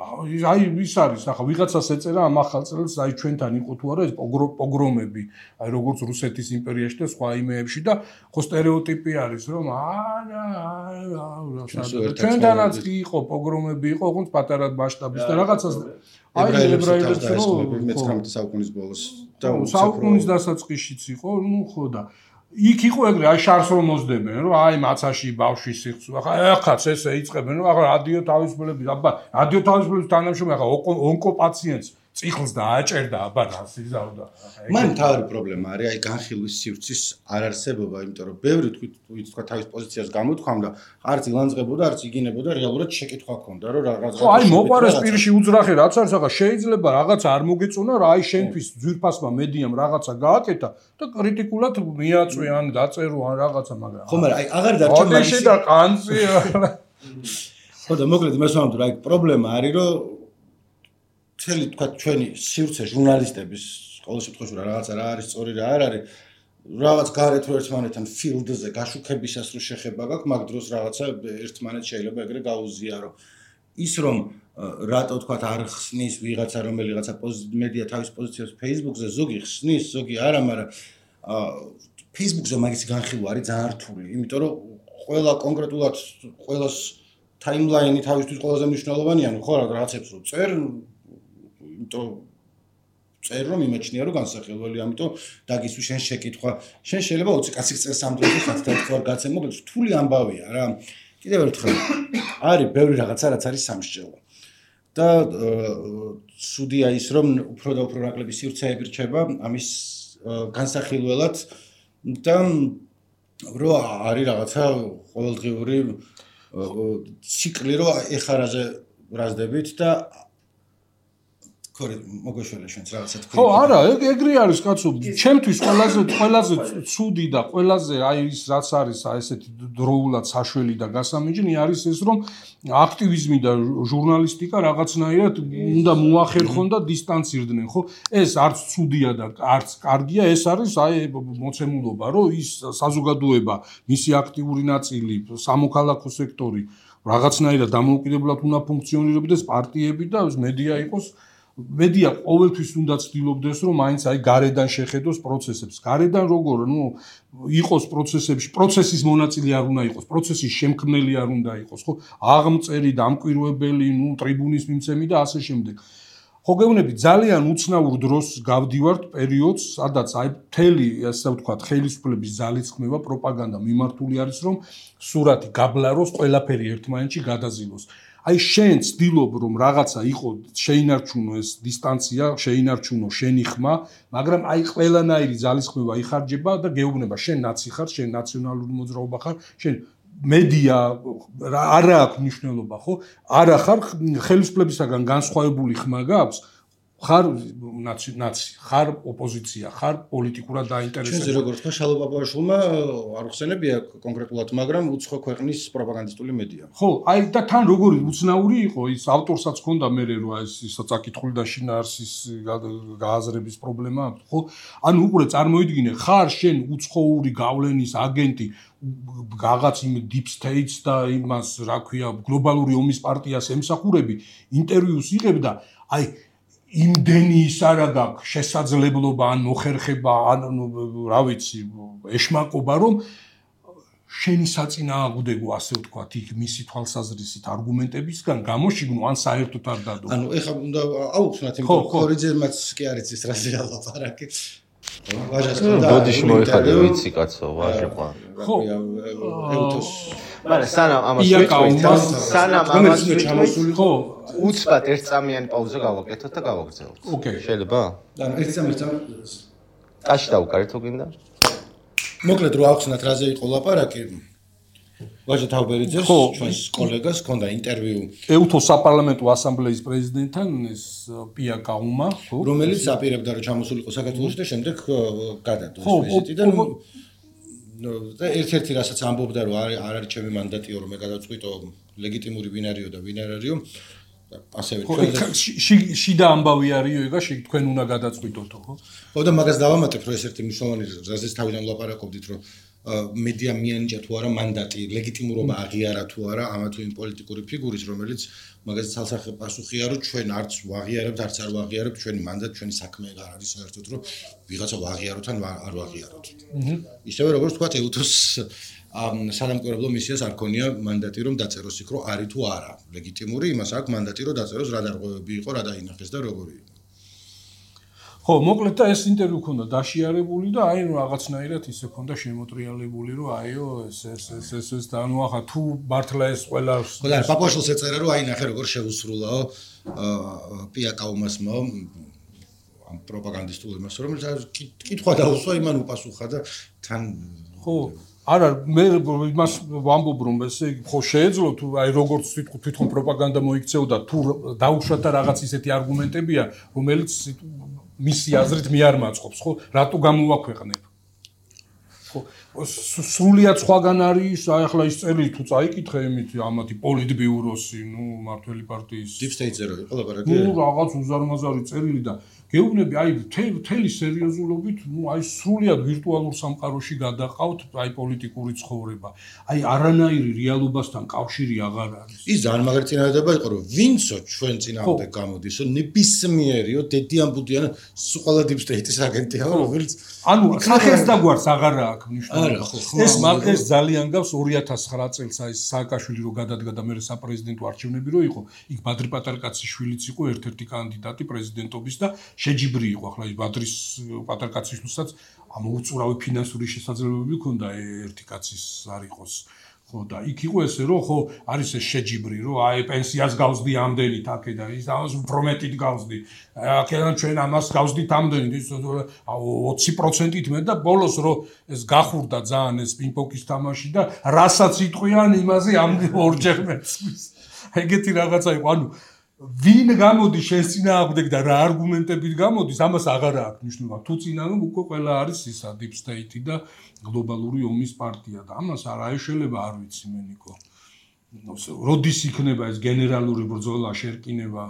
აი ის არის ახლა ვიღაცას ეწერა ამ ახალწელს აი ჩვენთან იყო თუ არა ეს პოგრომები აი როგორც რუსეთის იმპერიაში და სხვა იმეებში და ხო სტერეოტიპი არის რომ ჩვენთანაც კი იყო პოგრომები იყო ოღონდ პატარა მასშტაბის და რაღაცას აი ებრაელებს რომ მე-19 საუკუნის ბოლოს და საუკუნის დასაწყისშიც იყო ნუ ხო და იქ იყო ეგრე, აი შარს რომ მოსდებენ, რომ აი მაცაში ბავშვი სიხცუ. ახაც ესე იწყებენ, რომ ახლა რადიო თავისუფლების, აბა, რადიო თავისუფლების თანამშრომელი ახლა ონკოპაციენტს წიხლს დააჭერდა, აბა რას იზავდა. მან თავი პრობლემა არის აი განხილვის სივრცის არ არსებობა, იმიტომ რომ ბევრი თქვა თავის პოზიციას გამოთქვამდა, არც ილანძღებოდა, არც იგინებოდა, რეალურად შეკითხვა ჰქონდა, რომ რაღაც ხო, აი მოყარეს პირში უძრახე რაც არის, ახლა შეიძლება რაღაცა არ მოგეწონა, რა აი შენთვის ძვირფასმა მედიამ რაღაცა გააკეთა და კრიტიკულად მიაწვე ან დაწერო ან რაღაცა, მაგრამ ხო, მაგრამ აი აღარ დარჩა მაგისი და კანცი. ხო და მოკლედ იმას ვამბობ, რომ აი პრობლემა არის, რომ მთელი თქვა ჩვენი სივრცე ჟურნალისტების ყოველ შემთხვევაში რაღაცა რა არის სწორი რა არ არის რაღაც გარეთ რო ერთმანეთთან ფილდზე გაშუქებისას რო შეხება გაქვს მაგ დროს რაღაცა ერთმანეთს შეიძლება ეგრე გაუზიარო ის რომ რატო თქვა არ ხსნის ვიღაცა რომელიღაცა მედია თავის პოზიციას Facebook-ზე ზოგი ხსნის ზოგი არა მაგრამ Facebook-ზე მაგისი განხილვა არის ძალიან რთული იმიტომ რომ ყველა კონკრეტულად ყველას ტაიმლაინი თავისთვის ყველაზე მნიშვნელოვანია ნუ ხო რაღაცებს რო წერ იმიტომ წერ რომ იმეჩნია რომ განსახილველი ამიტომ დაგისვი შენ შეკითხვა შენ შეიძლება 20 კაცის წელს ამ დროს ხათ და თქვა გაცემ მოკლედ რთული ამბავია რა კიდევ ერთხელ არის ბევრი რაღაცა რაც არის სამსჯელო და სუდია ის რომ უფრო და უფრო ნაკლები სივრცეები რჩება ამის განსახილველად და რო არის რაღაცა ყოველდღიური ციკლი რო ეხარაზე ბრაზდებით და მოგეშველე შენც რაღაცა თქვი. ხო, არა, ეგრე არის კაცო. ჩემთვის ყველაზე ცუდი და ყველაზე აი ის რაც არის აი ესეთი დროულად საშველი და გასამინჯნი არის ეს რომ აქტივიზმი და ჟურნალისტიკა რაღაცნაირად უნდა მოახერხონ და დისტანცირდნენ, ხო? ეს არც ცუდია და არც კარგია, ეს არის აი მოცემულობა, რომ ის საზოგადოება, მისი აქტიური ნაწილი, სამოქალაქო სექტორი რაღაცნაირად დამოუკიდებლად უნდა ფუნქციონირებდეს პარტიები და მედია იყოს მედია ყოველთვის უნდა ცდილობდეს რომ მაინც აი გარედან შეხედოს პროცესებს. გარედან როგორ, იყოს პროცესებში, პროცესის მონაწილე არ უნდა იყოს, პროცესის შემქმნელი არ უნდა იყოს, ხო? აღმწერი, დამკვირვებელი, ტრიბუნის მიმცემი და ასე შემდეგ. ხო გეუბნები, ძალიან უცნაურ დროს გავდივართ პერიოდს, სადაც აი მთელი, ასე ვთქვათ, ხელისუფლების ძალისხმევა, პროპაგანდა მიმართული არის, რომ სურათი გაბლაროს, ყველაფერი ერთმანეთში გადაზილოს. აი შენ ცდილობ რომ რაღაცა იყო შეინარჩუნო ეს დისტანცია, შეინარჩუნო შენი ხმა, მაგრამ აი ყველანაირი ძალისხმევა იხარჯება და გეუბნება შენ ნაცი ხარ, შენ ნაციონალური მოძრაობა ხარ, შენ მედია არა აქვს მნიშვნელობა, ხო? არა ხარ ხელისუფლებისაგან განსხვავებული ხმა გაქვს, ხარ ნაცი, ხარ ოპოზიცია, ხარ პოლიტიკურად დაინტერესებული. შენზე როგორც თქვა შალო პაპაშვილმა არ ხსენებია კონკრეტულად, მაგრამ უცხო ქვეყნის პროპაგანდისტული მედია. ხო, აი და თან როგორი უცნაური იყო ის ავტორსაც ჰქონდა მე რომ ეს წაკითხული და შინაარსის გააზრების პრობლემა აქვს, ხო? ანუ უყურე წარმოიდგინე, ხარ შენ უცხოური გავლენის აგენტი რაღაც იმ deep states და იმას რა ქვია გლობალური ომის პარტიას ემსახურები, ინტერვიუს იღებ და აი იმდენი ის არა გაქვს შესაძლებლობა ან მოხერხება ან რა ვიცი ეშმაკობა რომ შენი საწინააღმდეგო ასე ვთქვათ იქ მისი თვალსაზრისით არგუმენტებისგან გამოშიგნო ან საერთოდ არ დადო. ანუ ეხლა უნდა აუხსნათ იმ ხორიძემაც კი არის ის რაზე ლაპარაკი. ვაჟას და ბოდიში მოიხადე ვიცი კაცო ვაჟებმა. ხო. მაგრამ სანამ ამას ვიტყვით, ხო, უცბად ერთწამიანი პაუზა გავაკეთოთ და გავაგრძელოთ. ოკეი. შეიძლება? ანუ ერთწამი ტაში დავუკარეთ თუ გინდა? მოკლედ რო ავხსნათ რაზე იყო ლაპარაკი. ვაჟა თავბერიძეს ჩვენს კოლეგას ჰქონდა ინტერვიუ ეუთოს საპარლამენტო ასამბლეის პრეზიდენტთან ეს პია კაუმა, ხო? რომელიც აპირებდა რომ ჩამოსულიყო საქართველოში და შემდეგ გადადო ეს ვიზიტი და და ერთ-ერთი რასაც ამბობდა რომ არ არის ჩემი მანდატიო რომ მე გადავწყვიტო ლეგიტიმური ვინ არისო და ვინ არ არისო ასევე ჩვენ შიდა ამბავი არისო ეგა თქვენ უნდა გადაწყვიტოთო ხო? ხო და მაგას დავამატებ რომ ეს ერთი მნიშვნელოვანი რაზეც თავიდან ვლაპარაკობდით რომ მედია მიანიჭა თუ არა მანდატი ლეგიტიმურობა აღიარა თუ არა ამა თუ იმ პოლიტიკური ფიგურის რომელიც მაგას ცალსახე პასუხია რომ ჩვენ არც ვაღიარებთ არც არ ვაღიარებთ ჩვენი მანდატი ჩვენი საქმე არ არის საერთოდ რომ ვიღაცა ვაღიაროთ ან არ ვაღიაროთ. ისევე როგორც თქვა ეუთოს სანამკვირვებლო მისიას არ ქონია მანდატი რომ დაწეროს იქ რომ არის თუ არა ლეგიტიმური იმას აქვს მანდატი რომ დაწეროს რა დარღვევები იყო რა დაინახეს და როგორი იყო. ხო ხო, მოკლედ და ეს ინტერვიუ ქონდა დაშიარებული და აი რაღაცნაირად ისე ქონდა შემოტრიალებული, რომ აიო ეს და ანუ ახლა თუ მართლა ეს ყველა ხო და პაპაშვილს ეწერა რომ აი ნახე როგორ შეუსრულაო პიაკაუმასმა ამ პროპაგანდისტულ იმას რომელიც კითხვა დაუსვა იმან უპასუხა და თან ხო არა მე იმას ვამბობ რომ ესე ხო შეეძლო თუ აი როგორც თვითონ პროპაგანდა მოიქცეოდა თუ დაუშვათ და რაღაც ისეთი არგუმენტებია რომელიც მისი აზრით მე არ მაწყობს ხო რატო გამოვაქვეყნებ ხო სრულიად სხვაგან არის აი ახლა ის წერილი თუ წაიკითხე იმით ამათი პოლიტბიუროსი ნუ მართველი პარტიის deep state-ზე რო იყო ლაპარაკი ნუ რაღაც უზარმაზარი წერილი და გეუბნები აი მთელი სერიოზულობით ნუ აი სრულიად ვირტუალურ სამყაროში გადაყავთ აი პოლიტიკური ცხოვრება აი არანაირი რეალობასთან კავშირი აღარ არის ის ძალიან მაგარი წინადადება იყო რომ ვინცო ჩვენ წინამდე გამოდისო ნებისმიერიო დედიანბუდიან სულ deep state-ის აგენტია რომელიც ანუ სახეს და გვარს აღარ აქვს მნიშვნელობა ეს ძალიან გავს 2009 წელს აი სააკაშვილი რო გადადგა და მე საპრეზიდენტო არჩევნები რო იყო იქ ბადრი პატარკაცის შვილიც იყო ერთ-ერთი კანდიდატი პრეზიდენტობის და შეჯიბრი იყო ახლა ის ბადრის პატარკაცისთვისაც ამ უწურავი ფინანსური შესაძლებლობები ჰქონდა ერთი კაცის არ იყოს ხო და იქ იყო ესე რომ ხო არის ეს შეჯიბრი რომ აი პენსიას გავსდი ამდენით აქედან ის ამას უფრო მეტით გავსდი აქედან ჩვენ ამას გავსდით ამდენით ის 20%-ით მე და ბოლოს რომ ეს გახურდა ძალიან ეს პინგ-პონგის თამაში და რასაც იტყვიან იმაზე ამდენ ორჯერ მეცვის ეგეთი რაღაცა იყო ანუ ვინ გამოდის შენს წინააღმდეგ და რა არგუმენტებით გამოდის ამას აღარ აქვს მნიშვნელობა თუ წინააღმდეგ უკვე ყველა არის ისა deep state და გლობალური ომის პარტია და ამას არ აეშელება არ ვიცი მე ნიკო როდის იქნება ეს გენერალური ბრძოლა შერკინება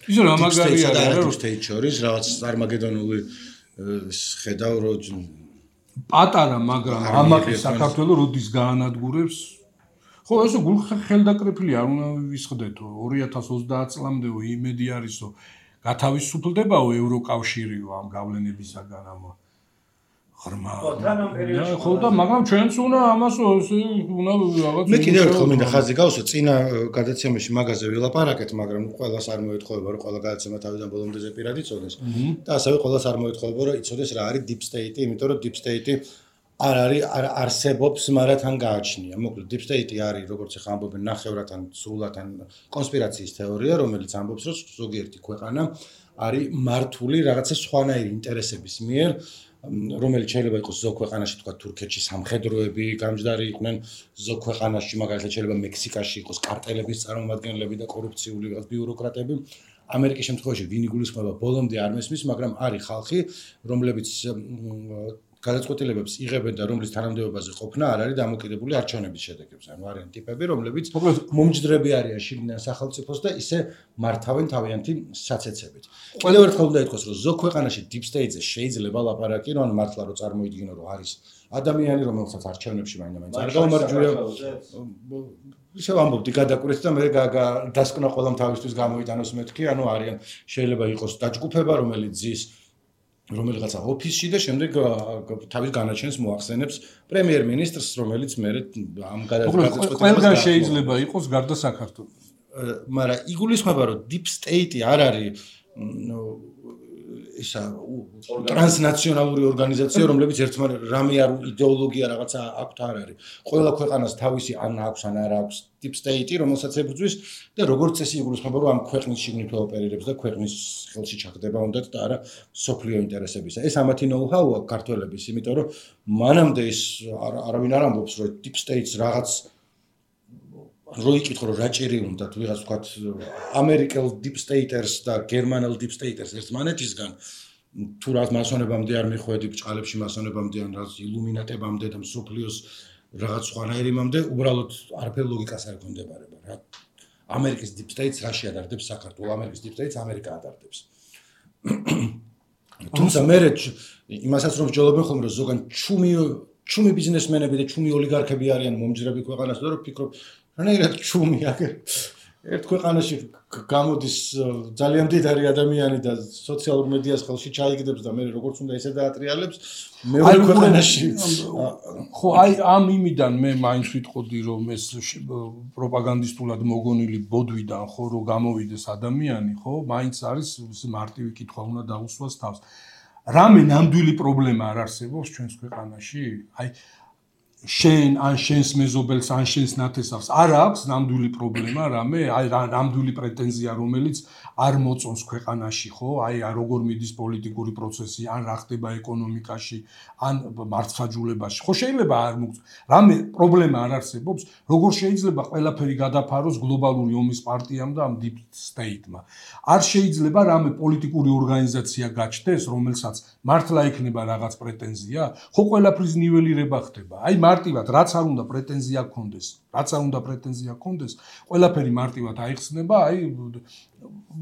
ისე რა მაგარი არის deep state შორის რაღაც წარმაგედონული ხედავ რომ პატარა მაგრამ ამაკი საქართველოს როდის გაანადგურებს ხო ესე ხელდაკრეფილი არ უნდა ვისხდეთო 2030 წლამდეო იმედი არისო გათავისუფლდებაო ევროკავშირიო ამ გავლენებისაგან ამ ღრმა ხო და მაგრამ ჩვენც უნდა ამას უნდა რაღაც მე კიდევ ერთხელ მინდა ხაზი გავუსვა წინა გადაცემაში მაგაზე ვილაპარაკეთ მაგრამ ყველას არ მოეთხოვება რომ ყველა გადაცემა თავიდან ბოლომდე ზეპირად იცოდეს და ასევე ყველას არ მოეთხოვება რომ იცოდეს რა არის deep state იმიტომ რომ deep state არ არსებობს, მაგრამ თან გააჩნია. მოკლედ deep state არის, როგორც ახლა ამბობენ, ნახევრად ან სრულად ან კონსპირაციის თეორია, რომელიც ამბობს, რომ ზოგიერთი ქვეყანა არის მართული რაღაცა სხვანაირი ინტერესების მიერ, რომელიც შეიძლება იყოს ზოგ ქვეყანაში, თქვა თურქეთში სამხედროები გამჯდარი იყვნენ, ზოგ ქვეყანაში, მაგალითად შეიძლება მექსიკაში იყოს კარტელების წარმომადგენლები და კორუფციული ბიუროკრატები. ამერიკის შემთხვევაში ვინ იგულისხმება ბოლომდე არ მესმის, მაგრამ არის ხალხი, რომლებიც გადაწყვეტილებებს იღებენ და რომლის თანამდებობაზე ყოფნა არ არის დამოკიდებული არჩევნების შედეგებზე. ანუ არიან ტიპები, რომლებიც მომჯდრები არიან შიგნიდან სახელმწიფოს და ისე მართავენ თავიანთი საცეცებით. კიდევ ერთხელ უნდა ითქვას, რომ ზოგ ქვეყანაში deep state-ზე შეიძლება ლაპარაკი, რომ მართლა რომ წარმოიდგინო, რომ არის ადამიანი, რომელსაც არჩევნებში მაინდა-მაინც არ გაუმარჯვია. ისე ვამბობდი გადაკვირეთ და მე დასკვნა ყველამ თავისთვის გამოიტანოს მეთქი, ანუ არიან შეიძლება იყოს დაჯგუფება, რომელიც ზის რომელიღაცა ოფისში და შემდეგ თავის განაჩენს მოახსენებს პრემიერ-მინისტრს, რომელიც მე ამ გადაწყვეტილებას ყველგან შეიძლება იყოს გარდა საქართველოს. მაგრამ იგულისხმება, რომ deep state არ არის ისა ტრანსნაციონალური ორგანიზაცია, რომლებიც ერთმანეთს რამე არ იდეოლოგია რაღაცა აქვთ არ არის. ყველა ქვეყანას თავისი ან აქვს ან არ აქვს deep state, რომელსაც ებრძვის და როგორც წესი იგულისხმება, რომ ამ ქვეყნის შიგნით ოპერირებს და ქვეყნის ხელში ჩახდება უნდათ და არა სოფლიო ინტერესებისა. ეს ამათი know-how-ა ქართველების, იმიტომ რომ მანამდე ის არავინ არ ამბობს, რომ deep state-ს რაღაც როიკითხო რომ რაჭირი უნდათ ვიღაც ვთქვათ ამერიკელ deep state-ers და გერმანელ deep state-ers ერთმანეთისგან თუ რაღაც მასონებამდე არ მიხვედი ბჭყალებში მასონებამდე ან რაღაც ილუმინატებამდე და მსოფლიოს რაღაც სხვანაირიმამდე უბრალოდ არაფერი ლოგიკას არ ექონდებარება რა ამერიკის deep state-ს რაში ადარდებს საქართველოს ამერიკის deep state-ს ამერიკა ადარდებს თუმცა მე იმასაც რომ ვჯობენ ხოლმე რომ ზოგან ჩუმი ბიზნესმენები და ჩუმი ოლიგარქები არიან მომჯდრები ქვეყანას და რომ ფიქრობ რანაირად ჩუმი აგერ ერთ ქვეყანაში გამოდის ძალიან მდიდარი ადამიანი და სოციალურ მედიას ხელში ჩაიგდებს და მე როგორც უნდა ესე დაატრიალებს მეორე ქვეყანაში ხო აი ამ იმიდან მე მაინც ვიტყოდი რომ ეს პროპაგანდისტულად მოგონილი ბოდვიდან ხო რომ გამოვიდეს ადამიანი ხო მაინც არის მარტივი კითხვა უნდა დაუსვას თავს რამე ნამდვილი პრობლემა არ არსებობს ჩვენს ქვეყანაში? აი შენ ან შენს მეზობელს ან შენს ნათესავს არ აქვს ნამდვილი პრობლემა რამე? აი ნამდვილი პრეტენზია რომელიც არ მოწონს ქვეყანაში, ხო? აი როგორ მიდის პოლიტიკური პროცესი, ან რა ხდება ეკონომიკაში, ან მართლმსაჯულებაში. ხო შეიძლება არ რამე პრობლემა არ არსებობს, როგორ შეიძლება ყველაფერი გადაფაროს გლობალური ომის პარტიამ და ამ deep state-მა. არ შეიძლება რამე პოლიტიკური ორგანიზაცია გაჩნდეს, რომელსაც მართლა იქნება რაღაც პრეტენზია? ხო ყველაფრის ნიველირება ხდება. აი მარტივად რაც არ უნდა პრეტენზია გქონდეს, ყველაფერი მარტივად აიხსნება, აი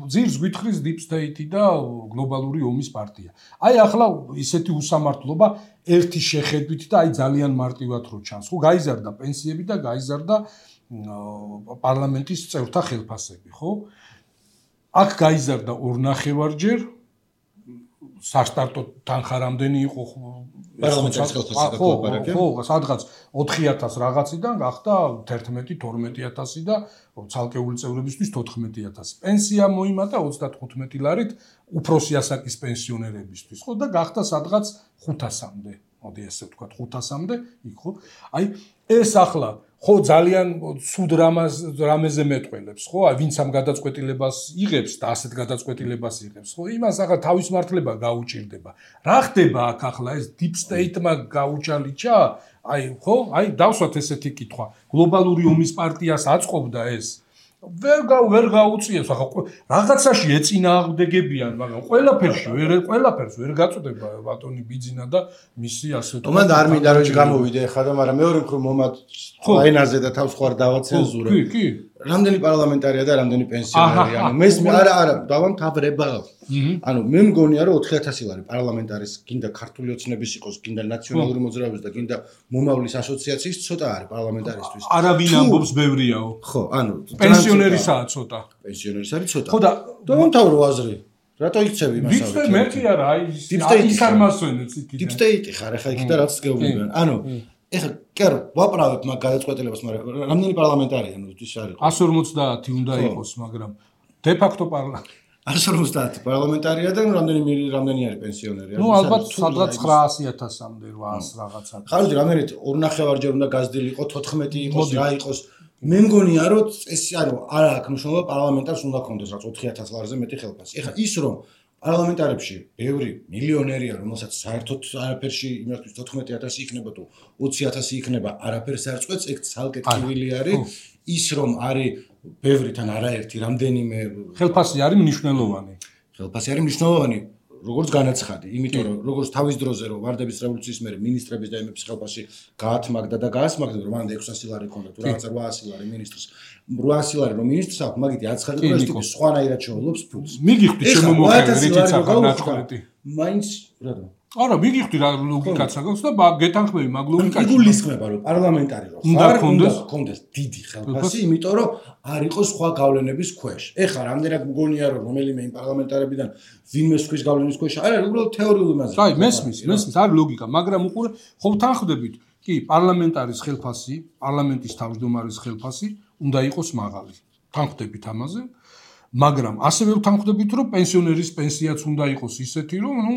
ძირს გვითხრის deep state და გლობალური ომის პარტია. აი ახლა ისეთი უსამართლობა ერთი შეხედვით და აი ძალიან მარტივად რო ჩანს. ხო გაიზარდა პენსიები და გაიზარდა პარლამენტის წევრთა ხელფასები, ხო? აქ გაიზარდა 2.5-ჯერ სასტარტო თანხა რამდენი იყო პარლამენტის ხელფასი და ხო, სადღაც 4.000 რაღაციდან გახდა 11-12.000 და ცალკეული წევრებისთვის 14.000. პენსია მოიმატა 35 ლარით უფროსი ასაკის პენსიონერებისთვის, ხო და გახდა სადღაც 500-მდე. მოდი ესე ვთქვათ 500-მდე, იქ ხო? აი ეს ახლა ხო ძალიან ცუდ რამეზე მეტყველებს, ხო? აი ვინც ამ გადაწყვეტილებას იღებს და ასეთ გადაწყვეტილებას იღებს, ხო? იმას ახლა თავის მართლება გაუჭირდება. რა ხდება აქ ახლა ეს deep state-მა გაუჭალიჭა? აი ხო? აი დავსვათ ესეთი კითხვა. გლობალური ომის პარტიას აწყობდა ეს? ვერ გაუწიებს, ახლა რაღაცაში ეწინააღმდეგებიან, მაგრამ ყველაფერს ვერ გაწოდება ბატონი ბიძინა და მისი ასე თქო. მან არ მინდა რომ გამოვიდე ხა და მაგრამ მეორე მხრივ მომად აინაზე და თავს ხوار დავაცენზურე. კი. რამდენი პარლამენტარია და რამდენი პენსიონერია? ანუ არა, დავამთავრება. ანუ მე მგონია რომ 4.000 ლარი პარლამენტარის გინდა ქართული ოცნების იყოს, გინდა ნაციონალური მოძრაობის და გინდა მომავლის ასოციაციის ცოტა არის პარლამენტარისთვის. არავინ ამბობს ბევრიაო. ხო, ანუ პენსიონერისაა ცოტა. პენსიონერის არის ცოტა. ხო და დავამთავრო აზრი. რატო იქცევი იმას? ვიცი მე კი არა, აი ის არ მასვენებს იქიდან. deep state ხარ ახლა იქ და რაც გეუბნებიან. ანუ ეხლა კი არა, ვაправებ მაგ გადაწყვეტილებას, მაგრამ რამდენი პარლამენტარია ნუ ის არის? 150 უნდა იყოს, მაგრამ de facto 150 პარლამენტარია და რამდენი არის პენსიონერი? ნუ ალბათ სადღაც 900.000-მდე 800 რაღაცა. ხარჯი რამდენით 2.5-ჯერ უნდა გაზრდილიყო, 14 იყოს, რა იყოს. მე მგონია რომ წესი ანუ არა აქვს მნიშვნელობა პარლამენტარს უნდა ქონდეს რაც 4.000 ლარზე მეტი ხელფასი. ეხლა ის რომ პარლამენტარებში ბევრი მილიონერია, რომელსაც საერთოდ არაფერში იმისთვის 14.000 იქნება თუ 20.000 იქნება, არაფერს არ წყვეტს, ეგ ცალკე ტკივილი არის. ის რომ არის ბევრი თან არაერთი რამდენიმე ხელფასი არის მნიშვნელოვანი. ხელფასი არის მნიშვნელოვანი, როგორც განაცხადი, იმიტომ რომ როგორც თავის დროზე რომ ვარდების რევოლუციის მერე მინისტრების და იმების ხელფასი გაათმაგდა და გაასმაგდა, რომ მანამდე 600 ლარი ქონდა თუ რაღაცა 800 ლარი მინისტრს. 800 ლარი რომ მინისტრს აქვს, მაგითი აცხადა რომ ეს ტიპი სხვანაირად შეავლობს ფულს. მიგიხდი ჩემო მოხერე რითიც ახლა ნაჭყრეტი. მაინც რატო? არა, მიგიხდი რა ლოგიკაც აქვს და გეთანხმები მაგ ლოგიკაში. იგულისხმება რომ პარლამენტარი რომ ხარ, უნდა კონდეს დიდი ხელფასი, იმიტომ რომ არ იყოს სხვა გავლენების ქვეშ. ეხლა რამდენად მგონია რომ რომელიმე იმ პარლამენტარებიდან ვინმე სხვის გავლენის ქვეშ არა, უბრალოდ თეორიული მაზრა. აი, მესმის, არის ლოგიკა, მაგრამ უყურე ხო თანხმდებით, კი, პარლამენტარის ხელფასი, პარლამენტის თავმჯდომარის ხელფასი უნდა იყოს მაღალი. თანხმდებით ამაზე. მაგრამ ასევე ვთანხმდებით, რომ პენსიონერის პენსიაც უნდა იყოს ისეთი, რომ ნუ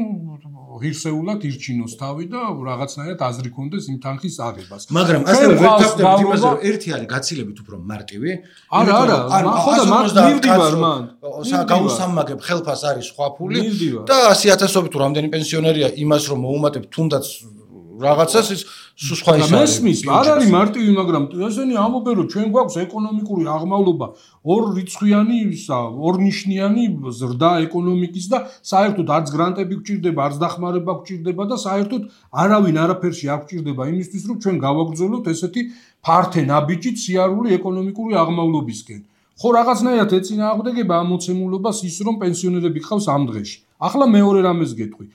ღირსეულად ირჩინოს თავი და რაღაცნაირად აზრი კონდეს იმ თანხის აღებას. მაგრამ ასევე ვერ თანხმდებით იმაზე, რომ ერთი არის გაცილებით უფრო მარტივი. არა, ხო და მივდივარ მან. გაუსამაგებ ხელფას არის სხვა ფული და 100.000-ობით თუ რამდენი პენსიონერია იმას რომ მოუმატებ თუნდაც რაღაცას ის სხვა ის არის. მესმის, არ არის მარტივი, მაგრამ ესენი ამბობენ რომ ჩვენ გვაქვს ეკონომიკური აღმავლობა ორრიცხვიანი ისა, ორნიშნიანი ზრდა ეკონომიკის და საერთოდ არც გრანტები გვჭირდება, არც დახმარება გვჭირდება და საერთოდ არავინ არაფერში არ გვჭირდება იმისთვის რომ ჩვენ გავაგრძელოთ ესეთი ფართე ნაბიჯით სიარული ეკონომიკური აღმავლობისკენ. ხო რაღაცნაირად ეწინააღმდეგება ამ მოცემულობას ის რომ პენსიონერები ყავს ამ დღეში. ახლა მეორე რამეს გეტყვი.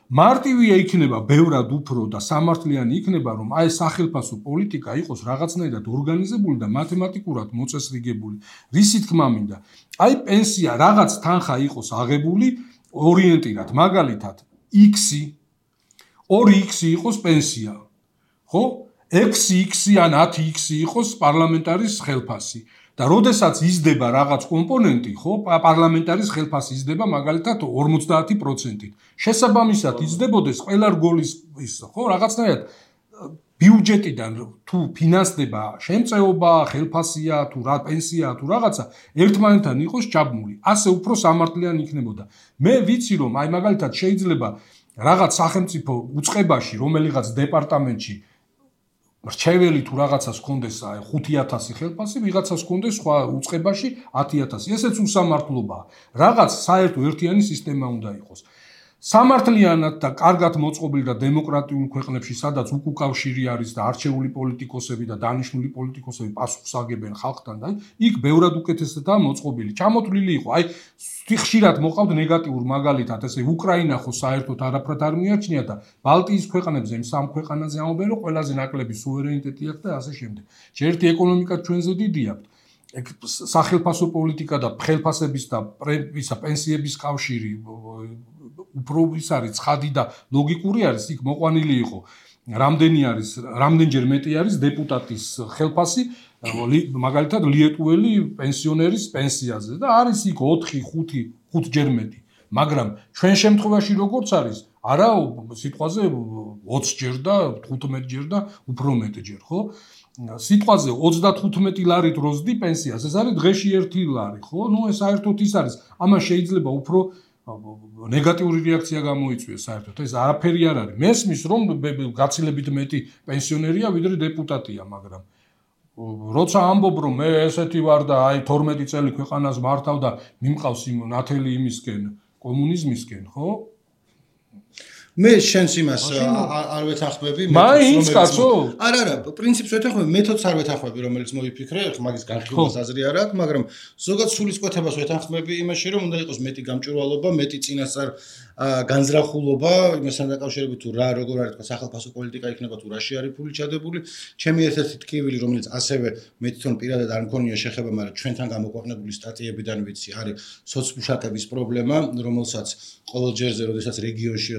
მარტივია იქნება ბევრად უფრო და სამართლიანი იქნება რომ აი სახელფასო პოლიტიკა იყოს რაღაცნაირად ორგანიზებული და მათემატიკურად მოწესრიგებული. რისი თქმა მინდა? აი პენსია რაღაც თანხა იყოს აღებული ორიენტირად, მაგალითად X-ი 2X იყოს პენსია. ხო? 6X ან 10X იყოს პარლამენტარის ხელფასი. და როდესაც იზრდება რაღაც კომპონენტი, ხო, პარლამენტარის ხელფასი იზრდება მაგალითად 50%-ით. შესაბამისად იზრდებოდეს ყველა რგოლის ის, ხო, რაღაცნაირად ბიუჯეტიდან თუ ფინანსდება შემწეობა, ხელფასია, თუ რა პენსია, თუ რაღაცა, ერთმანეთთან იყოს ჩაბმული. ასე უფრო სამართლიანი იქნებოდა. მე ვიცი რომ აი მაგალითად შეიძლება რაღაც სახელმწიფო უწყებაში, რომელიღაც დეპარტამენტში რჩეველი თუ რაღაცას ჰქონდეს 5000 ხელფასი, ვიღაცას ჰქონდეს სხვა უწყებაში 10000. ესეც უსამართლობაა. რაღაც საერთო ერთიანი სისტემა უნდა იყოს. სამართლიანად და კარგად მოწყობილ და დემოკრატიულ ქვეყნებში, სადაც უკავშირი არის და არჩეული პოლიტიკოსები და დანიშნული პოლიტიკოსები პასუხს აგებენ ხალხთან და იქ ბევრად უკეთესადაა მოწყობილი. ჩამოთვლილი იყო. აი ხშირად მოყავთ ნეგატიურ მაგალითად, ესე უკრაინა ხო საერთოდ არაფრად არ მიაჩნია და ბალტიის ქვეყნებზე იმ სამ ქვეყანაზე ამობენ, რომ ყველაზე ნაკლები სუვერენიტეტი აქვს და ასე შემდეგ. ერთი ეკონომიკა ჩვენზე დიდი აქვს. სახელფასო პოლიტიკა და ხელფასების და პენსიების კავშირი უფრო ის არის ცხადი და ლოგიკური არის, იქ მოყვანილი იყო რამდენჯერ მეტი არის დეპუტატის ხელფასი მაგალითად ლიეტუველი პენსიონერის პენსიაზე და არის იქ 4-5 მეტი, მაგრამ ჩვენ შემთხვევაში როგორც არის არა სიტყვაზე 20 ჯერ და 15 ჯერ და უფრო მეტჯერ, ხო? სიტყვაზე 35 ლარით როზდი პენსიას, ეს არის დღეში 1 ლარი, ხო? ნუ ეს საერთოდ ის არის, ამან შეიძლება უფრო ნეგატიური რეაქცია გამოიწვიეს საერთოდ. ეს არაფერი არ არის. მესმის რომ გაცილებით მეტი პენსიონერია ვიდრე დეპუტატია, მაგრამ როცა ამბობ რომ მე ესეთი ვარ და აი 12 წელი ქვეყანას მართავ და მიმყავს იმ ნათელი იმისკენ, კომუნიზმისკენ, ხო? მე შენს იმას არ ვეთანხმები მაინც კაცო? არა, პრინციპს ვეთანხმები, მეთოდს არ ვეთანხმები, რომელიც მოიფიქრე, მაგის განხილვას აზრი არ აქვს, მაგრამ ზოგადად სულისკვეთებას ვეთანხმები იმაში, რომ უნდა იყოს მეტი გამჭვირვალობა, მეტი წინასწარ განზრახულობა, იმასთან დაკავშირებით თუ რა როგორ არის თქვა სახელმწიფო პოლიტიკა იქნება თუ რაში არის ფული ჩადებული. ჩემი ერთ-ერთი ტკივილი, რომელიც ასევე მე თვითონ პირადად არ მქონია შეხება, მაგრამ ჩვენთან გამოქვეყნებული სტატიებიდან ვიცი, არის სოცმუშაკების პრობლემა, რომელსაც ყოველ ჯერზე, როდესაც რეგიონში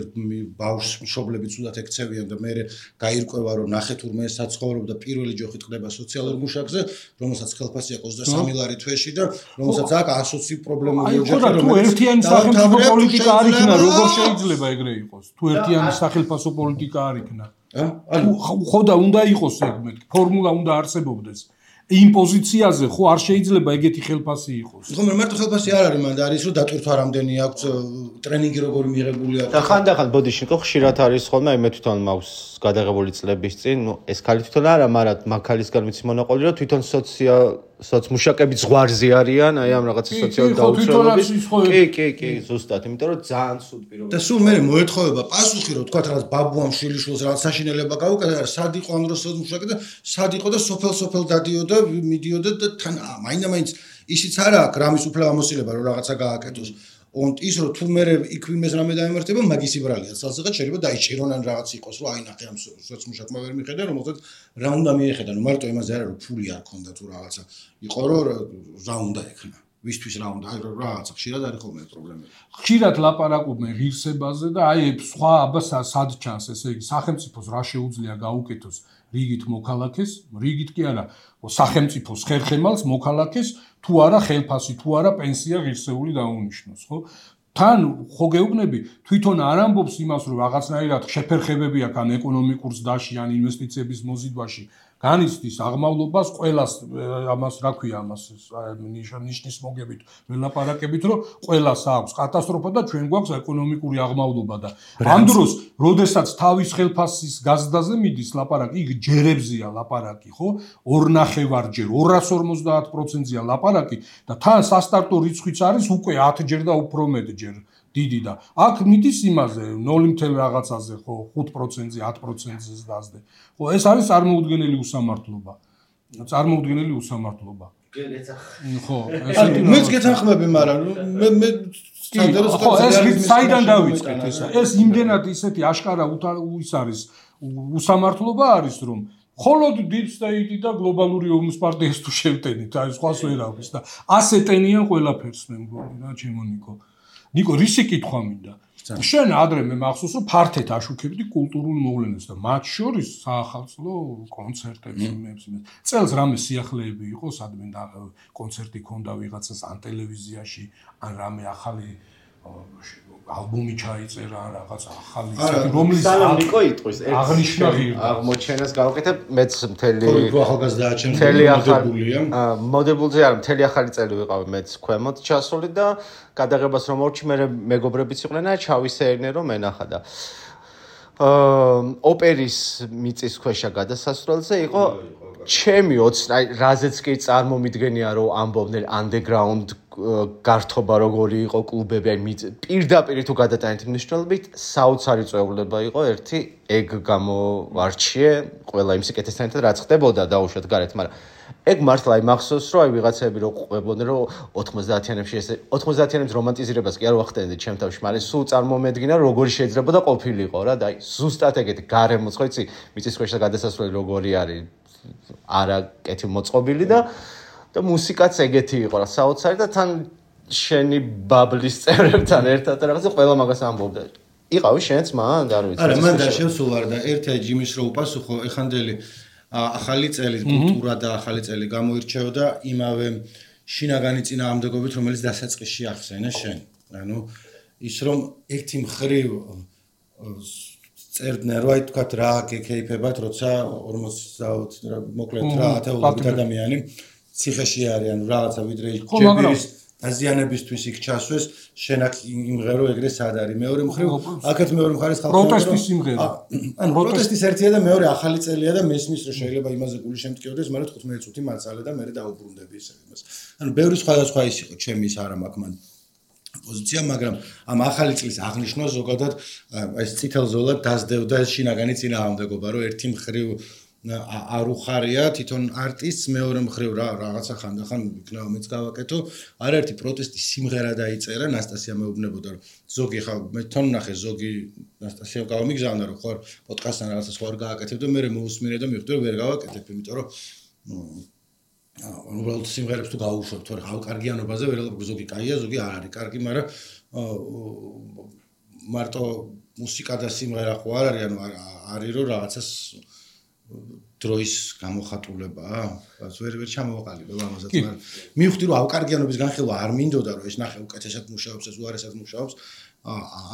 ბავშვს მშობლები ცუდად ექცევიან და მე გაირკვევა რომ ნახე თურმე საცხოვრობ და პირველი ჯოხით ხდება სოციალურ მუშაკზე, რომელსაც ხელფასი აქვს 23 ლარი თვეში და რომელსაც აქვს 120 პრობლემური ოჯახი, თუ ერთიანი სახელმწიფო პოლიტიკა არ იქნა, როგორ შეიძლება ეგრე იყოს? თუ ერთიანი სახელმწიფო პოლიტიკა არ იქნა. ხო და უნდა იყოს ეგ ფორმულა უნდა არსებობდეს. იმ პოზიციაზე ხო არ შეიძლება ეგეთი ხელფასი იყოს. ხო, მარტო ხელფასი არ არის, მანდ არის რომ დატვირთვა რამდენი აქვს ტრენინგი როგორი მიღებული აქვს. და ხანდახან ბოდიშნიკო ხშირად არის ხოლმე, აი მე თვითონ მაქვს გადაღებული წლების წინ, ნუ ეს ქალი თვითონ არა, მაგრამ მაგ ქალისგან ვიცი მონაყოლი, რომ თვითონ სოცმუშაკები ზღვარზე არიან, აი ამ რაღაცა სოციალური დაუცველობის. კი, ზუსტად, იმიტომ რომ ძალიან სულ პირობები. და სულ მე მოეთხოვება პასუხი, რომ თქვა რაღაც ბაბუამ შვილიშვილს რაღაც საშინელება გაუკეთა, სად იყო ამ დროს სოცმუშაკი და სად იყო და სოფელ დადიოდა, მიდიოდა და თან მაინდა-მაინც ისიც არა აქვს რამის უფლება ამოსილება რომ რაღაცა გააკეთოს. ის რომ თუ მე იქ ვინმეს რამე დაემართება, მაგის იბრალია. სასწრაფოდ შეიძლება დაიჭირონ ან რაღაც იყოს, რომ აი ნახე ამ სოცმუშაკმა ვერ მიხედა, რომელსაც რა უნდა მიეხედა, ნუ მარტო იმაზე არა რომ ფული არ ქონდა თუ რაღაცა. იყო რომ რა უნდა ექნა. ვისთვის რა უნდა, აი რაღაცა ხშირად არის ხოლმე პრობლემები. ხშირად ლაპარაკობენ ღირსებაზე და აი სხვა აბა სად ჩანს, ესე იგი სახელმწიფოს რა შეუძლია გაუკეთოს რიგით მოქალაქეს, რიგით კი არა, სახელმწიფოს ხერხემალს მოქალაქეს თუ არა ხელფასი, თუ არა პენსია ღირსეული დაუნიშნოს, ხო? თან ხო გეუბნები, თვითონ არ ამბობს იმას, რომ რაღაცნაირად შეფერხებები აქვს ან ეკონომიკურ ზრდაში, ან ინვესტიციების მოზიდვაში. განიცდის აღმავლობას ყველას ამას რა ქვია ამას ნიშნის მოგებით ველაპარაკებით რომ ყველას აქვს კატასტროფა და ჩვენ გვაქვს ეკონომიკური აღმავლობა და ამ დროს როდესაც თავის ხელფასის გაზრდაზე მიდის ლაპარაკი იქ ჯერებზია ლაპარაკი ხო 2.5-ჯერ 250%-ია ლაპარაკი და თან სასტარტო რიცხვიც არის უკვე 10 ჯერ და უფრო მეტჯერ დიდი და აქ მიდის იმაზე 0 რაღაცაზე ხო 5%-ზე 10%-ზე დასდე. ხო ეს არის წარმოუდგენელი უსამართლობა. ხო, მეც გეთანხმები, მაგრამ მე ხო ეს საიდან დავიწყეთ ესა. ეს იმდენად ისეთი აშკარა ის არის უსამართლობა არის რომ холод deep state და გლობალური ომის პარტიას თუ შევტენით, აი სხვას ვერ აქვს და ასე ტენიან ყველაფერს მე მგონი რა ჩემო ნიკო. ნიკო, რისი კითხვა მინდა? შენ ადრე მე მახსოვს რომ ფართედ აშუქებდი კულტურულ მოვლენებს და მათ შორის საახალწლო კონცერტებს იმებს. წელს რამე სიახლეები იყო, სადმე კონცერტი ქონდა ვიღაცას ან ტელევიზიაში, ან რამე ახალი ალბომი ჩაიწერა, ან რაღაც ახალი რომლის ნიკო იტყვის აღნიშნა ღირდა. აღმოჩენას გავაკეთებ მეც მთელი ახალგაზრდა ჩემს მოდებულზე არ მთელი ახალი წელი ვიყავ მეც ქვემოთ ჩასული და გადაღებას რომ მორჩი მე მეგობრებიც იყვნენ და ჩავისეირნე რომ ენახა და ოპერის მიწისქვეშა გადასასვლელზე იყო ჩემი აი რაზეც კი წარმომიდგენია რომ ამბობდნენ underground გართობა როგორი იყო კლუბები აი პირდაპირ თუ გადატანეთ მნიშვნელობით საოცარი წვეულება იყო ერთი ეგ გამოვარჩიე ყველა იმ სიკეთესთან ერთად რაც ხდებოდა დაუშვათ გარეთ მაგრამ ეგ მართლა აი მახსოვს რომ აი ვიღაცები რო ყვებოდნენ რომ 90-იანებში ესე 90-იანების რომანტიზირებას კი არ ვახდენდი ჩემ თავში მაგრამ სულ წარმომედგინა როგორი შეიძლება და ყოფილიყო რა და აი ზუსტად ეგეთი გარემოც ხო იცი მიწისქვეშა გადასასვლელი როგორი არის არაკეთი მოწყობილი და მუსიკაც ეგეთი იყო რა საოცარი და თან შენი ბაბლის წევრებთან ერთად რაღაცა ყველა მაგას ამბობდა იყავი შენც მან არ ვიცი არა მან და შევსულ არ და ერთი ჯიმის რო უპასუხო ეხანდელი ახალი წელი კულტურა და ახალი წელი გამოირჩევა და იმავე შინაგანი წინააღმდეგობით რომელიც დასაწყისში ახსენე შენ ანუ ის რომ ერთი მხრივ წერდნენ რომ აი თქვა რა გეკეიფებათ როცა 40 მოკლედ რა ათეულობით ადამიანი ციხეში არის ანუ რაღაცა ვიდრე ჯებირის აზიანებისთვის იქ ჩასვეს შენ აქ იმღერო ეგრე სად არის მეორე მხრივ აქეთ მეორე მხარეს ხალხი პროტესტის იმღერა ანუ პროტესტის ერთია და მეორე ახალი წელია და მესმის რომ შეიძლება იმაზე გული შემტკიოდეს მაგრამ 15 წუთი მაწალე და მე დაუბრუნდები ისე იმას ანუ ბევრი სხვადასხვა ის იყო ჩემი ის არა მაქვს მან პოზიცია მაგრამ ამ ახალი წლის აღნიშვნა ზოგადად ეს წითელ ზოლად დასდევდა შინაგანი წინააღმდეგობა რომ ერთი მხრივ არ უხარია თვითონ არტისტს მეორე მხრივ რაღაცა ხანდახან იქნება მეც გავაკეთო არაერთი პროტესტის სიმღერა დაიწერა ნასტასია მეუბნებოდა რომ ზოგი ხა მე თვითონ ნახე ზოგი ნასტასია გავამიგზავნა რომ ხო პოდკასტთან რაღაცა სხვა არ გააკეთებ და მე მოусმინე და მივხვდი რომ ვერ გავაკეთებ იმიტომ რომ უბრალოდ სიმღერებს თუ გაუშვებ თორე ხალ კარგიანობაზე ვერალ ზოგი კაია ზოგი არ არის კარგი მაგრამ მარტო მუსიკა და სიმღერა ხო არ არის ანუ არის რომ რაღაცას დროის გამოხატულებაა ვერ ჩამოვაყალიბებ ამასაც მაგრამ მივხვდი რომ ავკარგიანობის განხილვა არ მინდოდა რომ ეს ნახე უკეთესად მუშაობს ეს უარესად მუშაობს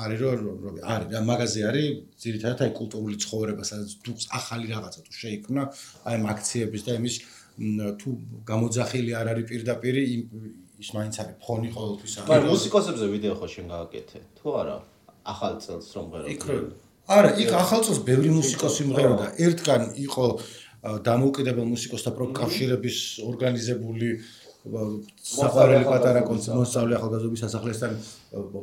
არის რომ არის რა მაღაზია არის ძირითადად აი კულტურული ცხოვრება სადაც თუ ახალი რაღაცა თუ შეიქმნა აი ამ აქციების და იმის თუ გამოძახილი არ არის პირდაპირ ის მაინც არის ფონი ყოველთვის არის მაგრამ მუსიკოსებზე ვიდეო ხო შენ გააკეთე თუ არა ახალ წელს რომ ღერო არა, იქ ახალ წელს ბევრი მუსიკოსი მღეროდა. ერთგან იყო დამოუკიდებელ მუსიკოსთა პროფკავშირების ორგანიზებული საყვარელი პატარა მოსწავლე ახალგაზრდობის სასახლესთან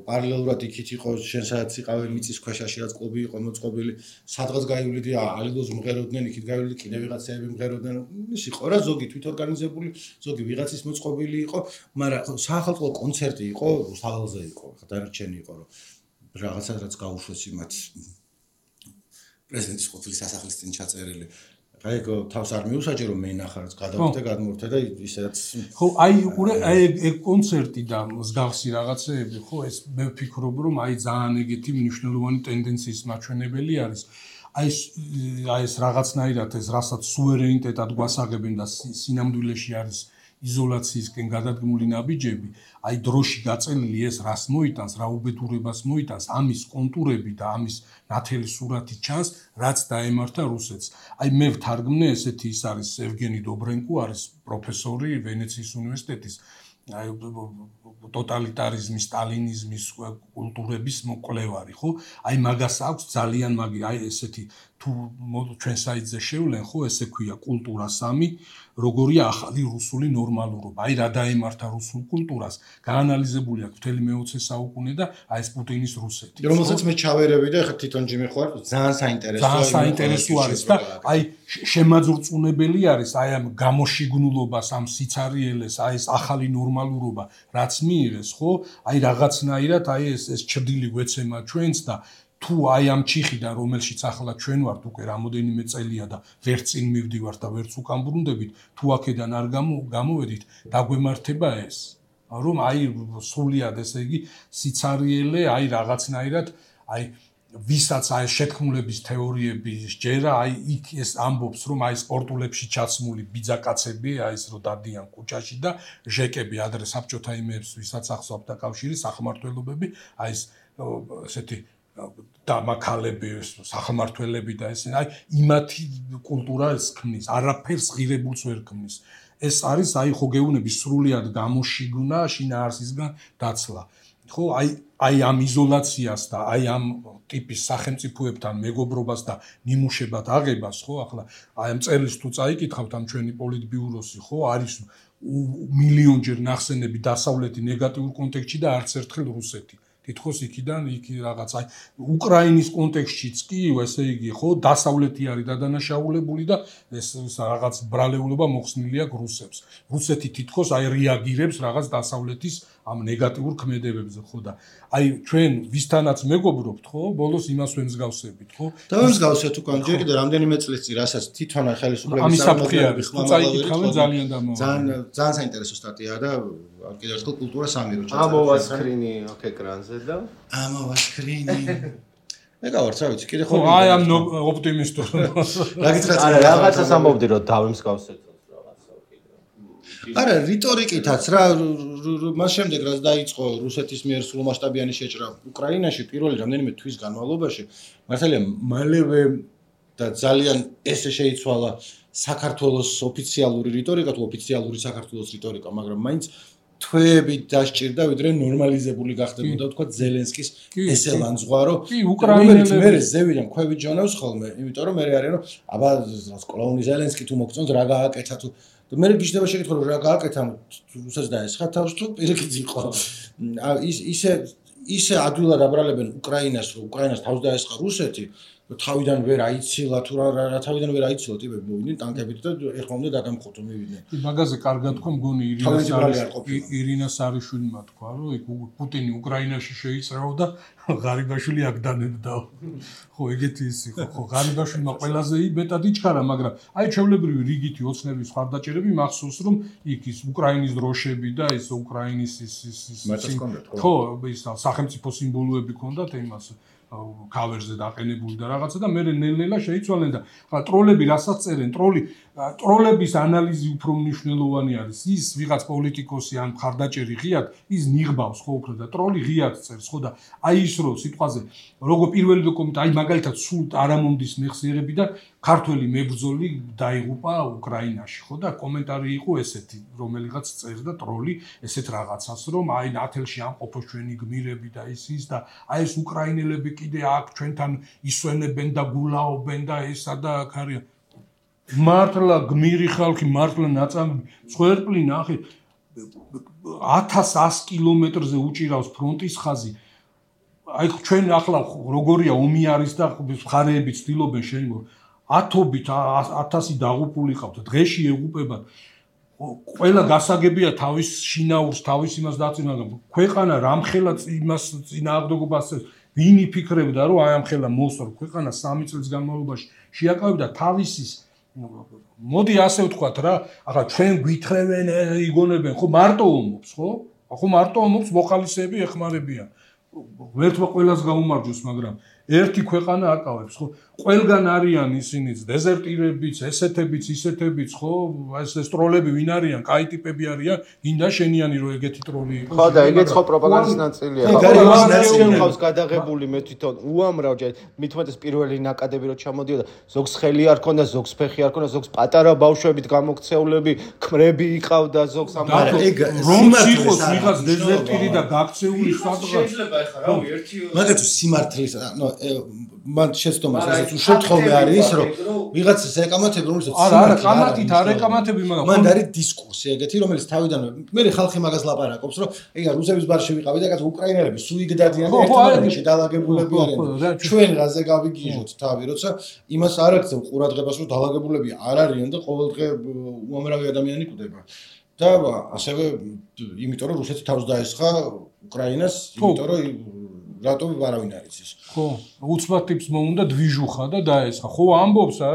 პარალელურად იქით იყო შენ სადაც იყავი მიწისქვეშაში რაც კლუბი იყო მოწყობილი სადღაც გაივლიდი ალილოს მღეროდნენ იქით გაივლიდი კიდე ვიღაცები მღეროდნენ ის იყო რა ზოგი თვითორგანიზებული ზოგი ვიღაცის მოწყობილი იყო მაგრამ საახალწლო კონცერტი იყო სალონზე იყო დანარჩენი იყო რომ რაღაცა რაც გაუშვეს იმათ პრეზიდენტის ყოფილი სასახლის წინ ჩაწერილი. აი ეგ თავს არ მიუსაჯერო მე ნახარს გადავიდე გადმორთე და ისედაც ხო აი უყურე აი ეგ კონცერტი და მსგავსი რაღაცეები ხო ეს მე ვფიქრობ რომ აი ძალიან ეგეთი მნიშვნელოვანი ტენდენციის მაჩვენებელი არის. აი ეს რაღაცნაირად ეს რასაც სუვერენიტეტად გვასაღებენ და სინამდვილეში არის იზოლაციისკენ გადადგმული ნაბიჯები, აი დროში გაწელილი ეს რას მოიტანს, რა უბედურებას მოიტანს, ამის კონტურები და ამის ნათელი სურათი ჩანს, რაც დაემართა რუსეთს. აი მე ვთარგმნე ესეთი ის არის ევგენი დობრენკო არის პროფესორი ვენეციის უნივერსიტეტის აი ტოტალიტარიზმის, სტალინიზმის კულტურების მკვლევარი, ხო? აი მაგას აქვს ძალიან მაგი, აი ესეთი თუ ჩვენ საიტზე შევლენ, ხო, ესე ქვია კულტურა 3 როგორია ახალი რუსული ნორმალურობა. აი რა დაემართა რუსულ კულტურას, გაანალიზებული აქვს მთელი მე-20 საუკუნე და აი ეს პუტინის რუსეთი. რომელსაც მე ჩავერები და ხა თვითონ ჯიმი ხო არის, ძალიან საინტერესოა. ძალიან საინტერესო არის და აი შემაძურწუნებელი არის აი ამ გამოშიგნულობას, ამ სიცარიელეს, აი ეს ახალი ნორმალურობა, რაც მიიღეს, ხო? აი რაღაცნაირად აი ეს ჩრდილი გვეცემა ჩვენს და თუ აი ამ ჩიხიდან რომელშიც ახლა ჩვენ ვართ უკვე რამოდენიმე წელია და ვერც წინ მივდივართ და ვერც უკან ბრუნდებით თუ აქედან არ გამოვედით დაგვემართება ეს რომ აი სრულიად ესე იგი სიცარიელე აი რაღაცნაირად აი ვისაც აი შეთქმულების თეორიები ჯერა აი იქ ეს ამბობს რომ აი სპორტულებში ჩაცმული ბიძაკაცები აი ეს რო დადიან კუჭაში და ჟეკები ადრე საბჭოთა იმებს ვისაც ახსოვდა კავშირი სახმართველობები აი ეს ესეთი დამაქალები სახმართველები და ესე აი იმათი კულტურა ეს ქმნის არაფერს ღირებულს ვერ ქმნის ეს არის აი ხო გეუბნები სრულიად გამოშიგნა შინაარსისგან დაცლა ხო აი ამ იზოლაციას და აი ამ ტიპის სახელმწიფოებთან მეგობრობას და ნიმუშებად აღებას ხო ახლა აი ამ წერილს თუ წაიკითხავთ ამ ჩვენი პოლიტბიუროსი ხო არის მილიონჯერ ნახსენები დასავლეთი ნეგატიურ კონტექსტში და არც ერთხელ რუსეთი თითქოს იქიდან იქ რაღაც აი უკრაინის კონტექსტშიც კი ესე იგი ხო დასავლეთი არის დადანაშაულებული და ეს რაღაც ბრალეულობა მოხსნილი აქვს რუსებს რუსეთი თითქოს აი რეაგირებს რაღაც დასავლეთის ამ ნეგატიურ ქმედებებზე ხო და აი ჩვენ ვისთანაც მეგობრობთ ხო ბოლოს იმას ვემსგავსებით ხო და ვემსგავსეთ უკან ჯერ კიდე რამდენიმე წლის წინ რასაც თვითონ ხელისუფლების სამართლიანი ხმამაღალი ძალიან ძალიან საინტერესო სტატიაა და კიდევ ერთხელ კულტურა სამი რო ჩაწერა ამოვა სკრინი აქ ეკრანზე და ამოვა სკრინი მე გავარც რა ვიცი კიდე ხო აი ამ ოპტიმისტურ რა გითხრათ არა რაღაცას ამბობდი რომ დავემსგავსეთ არა რიტორიკითაც რა მას შემდეგ რაც დაიწყო რუსეთის მიერ სრულმასშტაბიანი შეჭრა უკრაინაში პირველი რამდენიმე თვის განმავლობაში მართალია მალევე და ძალიან ესე შეიცვალა საქართველოს ოფიციალური რიტორიკა თუ ოფიციალური საქართველოს რიტორიკა მაგრამ მაინც თვეები დასჭირდა ვიდრე ნორმალიზებული გახდებოდა თქვა ზელენსკის ესე ლანძღვარო უკრაინელებს მე ზევიდან ქვევით ჯონავს ხოლმე იმიტომ რომ მე არიან რომ აბა კლოუნი ზელენსკი თუ მოგწონს რა გააკეთა თუ მე გიჩნდება შეკითხვა რომ რა გააკეთა რუსეთს დაესხა თავს თუ პირიქით იყო ისე ადვილად აბრალებენ უკრაინას რომ უკრაინას თავს დაესხა რუსეთი თავიდან ვერ აიცილა თუ რა თავიდან ვერ აიცილა ტიპები მოვიდნენ ტანკებით და ეხლა უნდა დაგამხოთო მივიდნენ მაგაზე კარგად თქვა მგონი ირინა სარიშვილმა თქვა რომ იქ პუტინი უკრაინაში შეიწრავდა ღარიბაშვილი აქ დანებდა ხო ეგეთი ის იყო ხო ღარიბაშვილმა ყველაზე მეტად იჩქარა მაგრამ აი ჩვეულებრივი რიგითი ოცნების ხარდაჭერები მახსოვს რომ იქ ის უკრაინის დროშები და ის უკრაინის ის ხო ის სახელმწიფო სიმბოლოები ჰქონდათ იმას კავერზე დაყენებული და რაღაცა და მე ნელ-ნელა შეიცვალენ და ხა ტროლები რასაც წერენ ტროლების ანალიზი უფრო მნიშვნელოვანი არის ის ვიღაც პოლიტიკოსი ან მხარდაჭერი ღიად ის ნიღბავს ხო უფრო და ტროლი ღიად წერს ხო და აი ის რო სიტყვაზე როგორ პირველი დოკუმენტი აი მაგალითად სულ არამომდის მეხსიერები და ქართველი მებრძოლი დაიღუპა უკრაინაში ხო და კომენტარი იყო ესეთი რომელიღაც წერდა ტროლი ესეთ რაღაცას რომ აი ნათელში ამყოფოს ჩვენი გმირები და ის და აი ეს უკრაინელები კიდე აქ ჩვენთან ისვენებენ და გულაობენ და ესა და აქ არის მართლა გმირი ხალხი მართლა ნაწამი სვერპლი ნახე 1100 კილომეტრზე უჭირავს ფრონტის ხაზი აი ჩვენ ახლა როგორია ომი არის და მხარეები ცდილობენ შემო ათობით 1000 დაღუპული ყავთ დღეში ეღუპებათ ყველა გასაგებია თავის შინაურს თავის იმას დაწინა მაგრამ ქვეყანა რამხელა იმას წინააღმდეგობას ვინ იფიქრებდა რომ აი ამ ხელა მოსწორ ქვეყანა 3 წლის განმავლობაში შეაკავებდა თავისის მოდი ასე ვთქვათ რა ახლა ჩვენ გვითხრევენ იგონებენ ხო მარტო ომობს ხო მარტო ომობს მოხალისეები ეხმარებიან ვერთმა ყველას გაუმარჯოს მაგრამ ერთი ქვეყანა აკავებს ხო ყველგან არიან ისინიც დეზერტირებიც ესეთებიც ისეთებიც ხო ეს ტროლები ვინ არიან კაი ტიპები არიან გინდა შენიანი რომ ეგეთი ტროლი იყოს ხო და ეგეც ხო პროპაგანდის ნაწილია ხო ხავს გადაღებული მე თვითონ უამრავ ჯერ მithumetes პირველი ნაკადები რო ჩამოდიოდა ზოგს ხელი არ ქონდა ზოგს ფეხი არ ქონდა ზოგს პატარა ბავშვებით გამოქცეულები ქმრები იყავდა ზოგს ამ ეგ რომ იყოს ვიღაც დეზერტირი და გაქცეული სადღაც შეიძლება ეხა რავი ერთი მაგათ სიმართლის მან შეცდომას ესეც უშუალოდ ხოლმე არის რომ ვიღაც ეკამათები რომელსაც არა კამათით არ ეკამათები მაგრამ მან არის დისკურსი ეგეთი რომელიც თავიდანვე მე ხალხი მაგას ლაპარაკობს რომ ეგა რუსების ბარში ვიყავი და კაც უკრაინელები სუიგდადიან ერთმანეთში დალაგებულები არიან ჩვენ რაზე გავიგიჟოთ თავი როცა იმას არ აქცევ ყურადღებას რომ დალაგებულები არ არიან და ყოველდღე უამრავი ადამიანი კვდება და ასევე იმიტომ რომ რუსეთი თავს დაესხა უკრაინას იმიტომ რომ რატო არავინ არ იცის. ხო, უცბად ტიპს მოუნდა დვიჟუხა და დაესხა. ხო, ამბობს რა,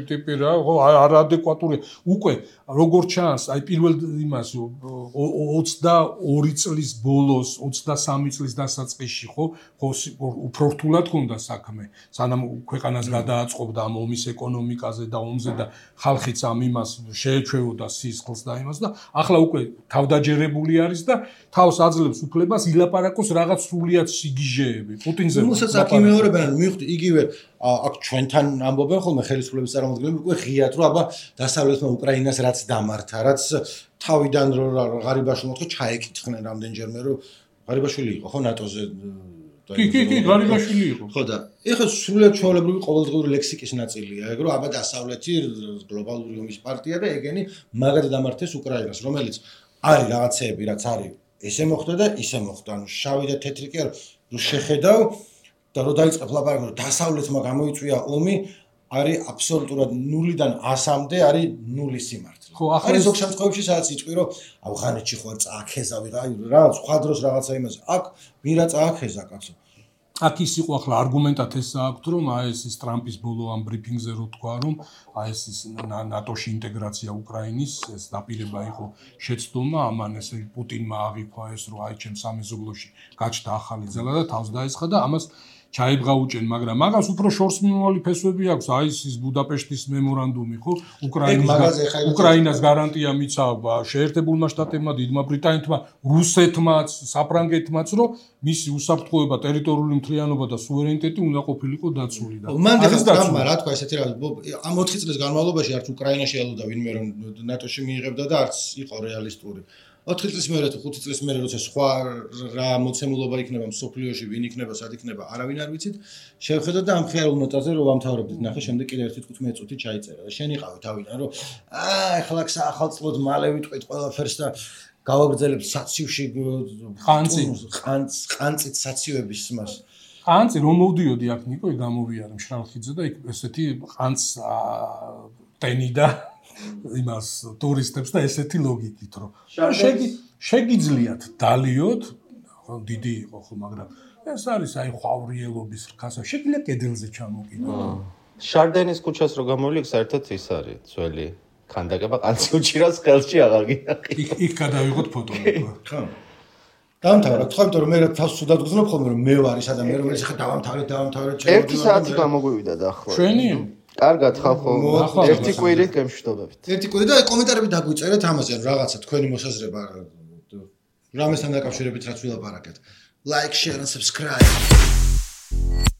ტიპი რა, ხო, არადეკვატურია. უკვე როგორც ჩანს, აი პირველ იმას 22 წლის ბოლოს, 23 წლის დასაწყისში, ხო, უფრო რთულად ჰქონდა საქმე. სანამ ქვეყანას გადააწყობდა ამ ომის ეკონომიკაზე და ომზე და ხალხიც ამ იმას შეეჩვეოდა სისხლს და იმას და ახლა უკვე თავდაჯერებული არის და თავს აძლევს უფლებას ილაპარაკოს რაღაც სრულიად სიგიჟეები. პუტინზე რომელსაც აქ იმეორებენ, მივხვდი იგივე აქ ჩვენთან ამბობენ ხოლმე ხელისუფლების წარმომადგენლები უკვე ღიად რომ აბა დასავლეთმა უკრაინას რაც დამართა, რაც თავიდან ღარიბაშვილმა თქო ჩაეკითხნენ რამდენჯერმე რომ ღარიბაშვილი იყო ხო ნატოზე კი, ღარიბაშვილი იყო. ხო და ეხლა სრულიად ჩვეულებრივი ყოველდღიური ლექსიკის ნაწილია, ეგ რომ აბა დასავლეთი გლობალური ომის პარტია და ეგენი მაგად დამართეს უკრაინას, რომელიც არის რაღაცეები, რაც არის ესე მოხდა და ისე მოხდა. ანუ შავი და თეთრი კი არ რომ შეხედავ და რომ დაიწყებ ლაპარაკი რომ დასავლეთმა გამოიწვია ომი, არის აბსოლუტურად 0-დან 100-მდე არის 0 სიმართლე. ხო, ახლა არის ზოგ შემთხვევებში სადაც იწვი რომ ავღანეთში ხო არ წააქეზა ვიღა, რაღაც სხვა დროს რაღაცა იმაზე. აქ ვირა წააქეზა კაცო. აქ ის იყო ახლა არგუმენტად ეს აქვს რომ აი ეს ტრამპის ბოლო ამ ბრიფინგზე რო თქვა რომ აი ეს ნატოში ინტეგრაცია უკრაინის ეს დაპირება იყო შეცდომა ამან ესე პუტინმა აღიქვა ეს რომ აი ჩემ სამეზობლოში გაჩნდა ახალი ძალა და თავს დაესხა და ამას ჩაიბღაუჭენ, მაგრამ მაგას უფრო შორს მიმავალი ფესვები აქვს, აი ეს ბუდაპეშტის მემორანდუმი, ხო? უკრაინას გარანტია მიცავ შეერთებულმა შტატებმა, დიდმა ბრიტანეთმა, რუსეთმაც, საფრანგეთმაც, რომ მისი უსაფრთხოება, ტერიტორიული მთლიანობა და სუვერენიტეტი უნდა ყოფილიყო დაცული და მან ტრამპმა რა თქვა ესეთი რა ამ 4 წლის განმავლობაში არც უკრაინაში ელოდა ვინმე რომ ნატოში მიიღებდა და არც იყო რეალისტური. 4 წლის მერე თუ 5 წლის მერე როცა სხვა რა მოცემულობა იქნება მსოფლიოში, ვინ იქნება, სად იქნება, არავინ არ ვიცით. შევხედოთ და ამ ხიარულ ნოტაზე რომ ვამთავრებდით, ნახე, შემდეგ კიდე 1-15 წუთი ჩაიწერა და შენ იყავი თავიდან რომ ეხლა ახალწლოდ მალე ვიტყვით ყველაფერს და გავაგრძელებთ საციუში ყანწით საციუების მას. ყანწი რომ მოვდიოდი აქ ნიკო გამოვიარე მშრალხიძე და იქ ესეთი ყანწ ტენი და იმას ტურისტებს და ესეთი ლოგიკით რომ შეგიძლიათ დალიოთ დიდი იყო ხო მაგრამ ეს არის აი ხვავრიელობის რქასა შეგიძლია კედელზე ჩამოკიდოთ შარდენის ქუჩას რო გამოვლიქ საერთოდ ის არის ძველი ქანდაკება ყანწი უჭირავს ხელში აღარ გინახი იქ გადავიღოთ ფოტოები ხო დამთავრდა თქვა იმიტომ რომ მე თავს სუდად გძნობ ხოლმე რომ მე ვარ ის ადამიანი რომელიც ხა დავამთავრეთ 1 საათი გამოგვივიდა დაახლოებით ჩვენი კარგად ხალხო ერთი კვირით გემშვიდობებით ერთი კვირით და კომენტარები დაგვიწერეთ ამაზე რაღაცა თქვენი მოსაზრება რამესთან დაკავშირებით რაც ვილაპარაკეთ like share and subscribe